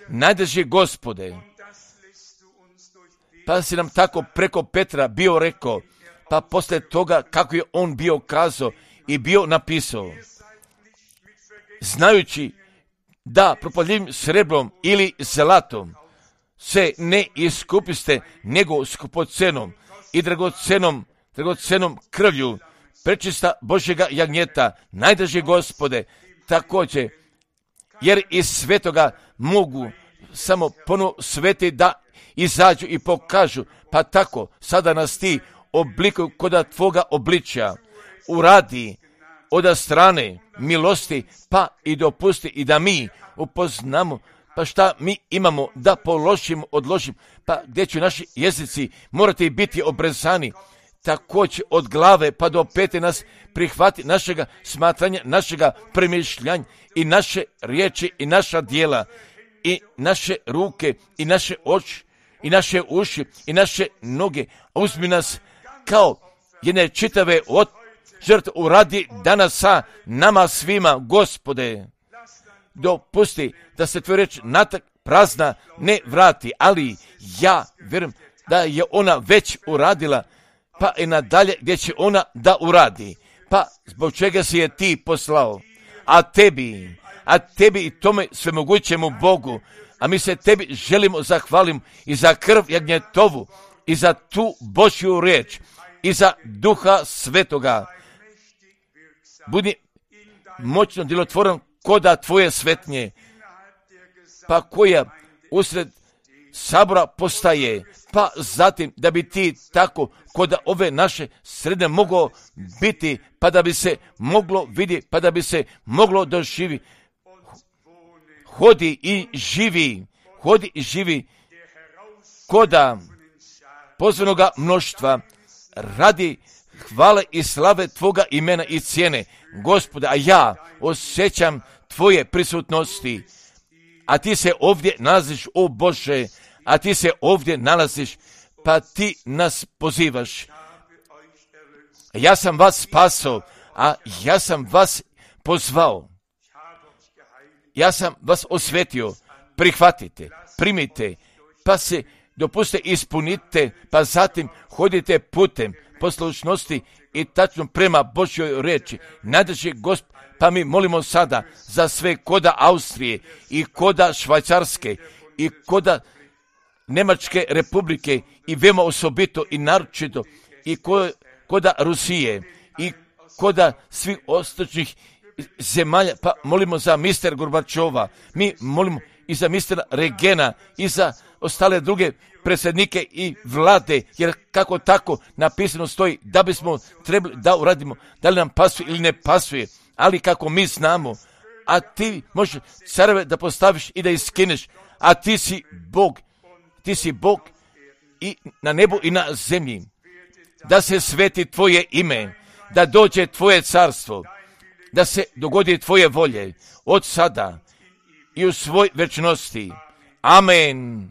Najdraži Gospode, pa si nam tako preko Petra bio rekao, pa poslije toga kako je on bio kazao i bio napisao, znajući da propalljivim srebrom ili zlatom se ne iskupiste, nego skupocenom i dragocenom krvlju prečista Božjega jagnjeta, najdraži Gospode, također, jer iz svetoga mogu samo ponovo sveti da izađu i pokažu, pa tako sada nas ti oblikuju koda tvoga obličja, uradi od strane milosti, pa i dopusti i da mi upoznamo, pa šta mi imamo da odložimo, pa gdje će naši jezici morati biti obrezani, također od glave pa do pete nas prihvati našega smatranja, našega premišljanja i naše riječi i naša djela i naše ruke i naše oči i naše uši i naše noge. Uzmi nas kao jedne čitave žrtve uradi danas sa nama svima, Gospode. Dopusti da se tvoja reč natak prazna ne vrati, ali ja vjerujem da je ona već uradila, pa i nadalje gdje će ona da uradi. Pa zbog čega si je ti poslao? A tebi i tome svemogućemu Bogu, a mi se tebi želimo zahvalim i za krv jagnjetovu i za tu Božju riječ i za Duha Svetoga. Budi moćno djelotvoran koda tvoje svetnje, pa koja usred sabora postaje, pa zatim da bi ti tako koda ove naše sredine moglo biti, pa da bi se moglo vidjeti, pa da bi se moglo doživi. Hodi i živi koda pozvanoga mnoštva radi hvale i slave tvoga imena i cijene, Gospode, a ja osjećam tvoje prisutnosti, a ti se ovdje nalaziš, o Bože, a ti se ovdje nalaziš, pa ti nas pozivaš. Ja sam vas spasao, a ja sam vas pozvao. Ja sam vas osvetio, prihvatite, primite, pa se dopustite, ispunite, pa zatim hodite putem poslušnosti i tačno prema Božjoj riječi. Najdraži Gospod, pa mi molimo sada za sve koda Austrije i koda Švajcarske i koda Njemačke republike i veoma osobito i naročito i koda Rusije i koda svih ostočnih zemalja, pa molimo za mister Gorbačova, mi molimo i za mistera Regena i za ostale druge predsjednike i vlade, jer kako tako napisano stoji da bismo trebali da uradimo, da li nam pasuje ili ne pasuje, ali kako mi znamo, a ti možeš careve da postaviš i da iskineš, a ti si Bog i na nebu i na zemlji, da se sveti tvoje ime, da dođe tvoje carstvo, da se dogodi tvoje volje od sada i u svoj večnosti. Amen.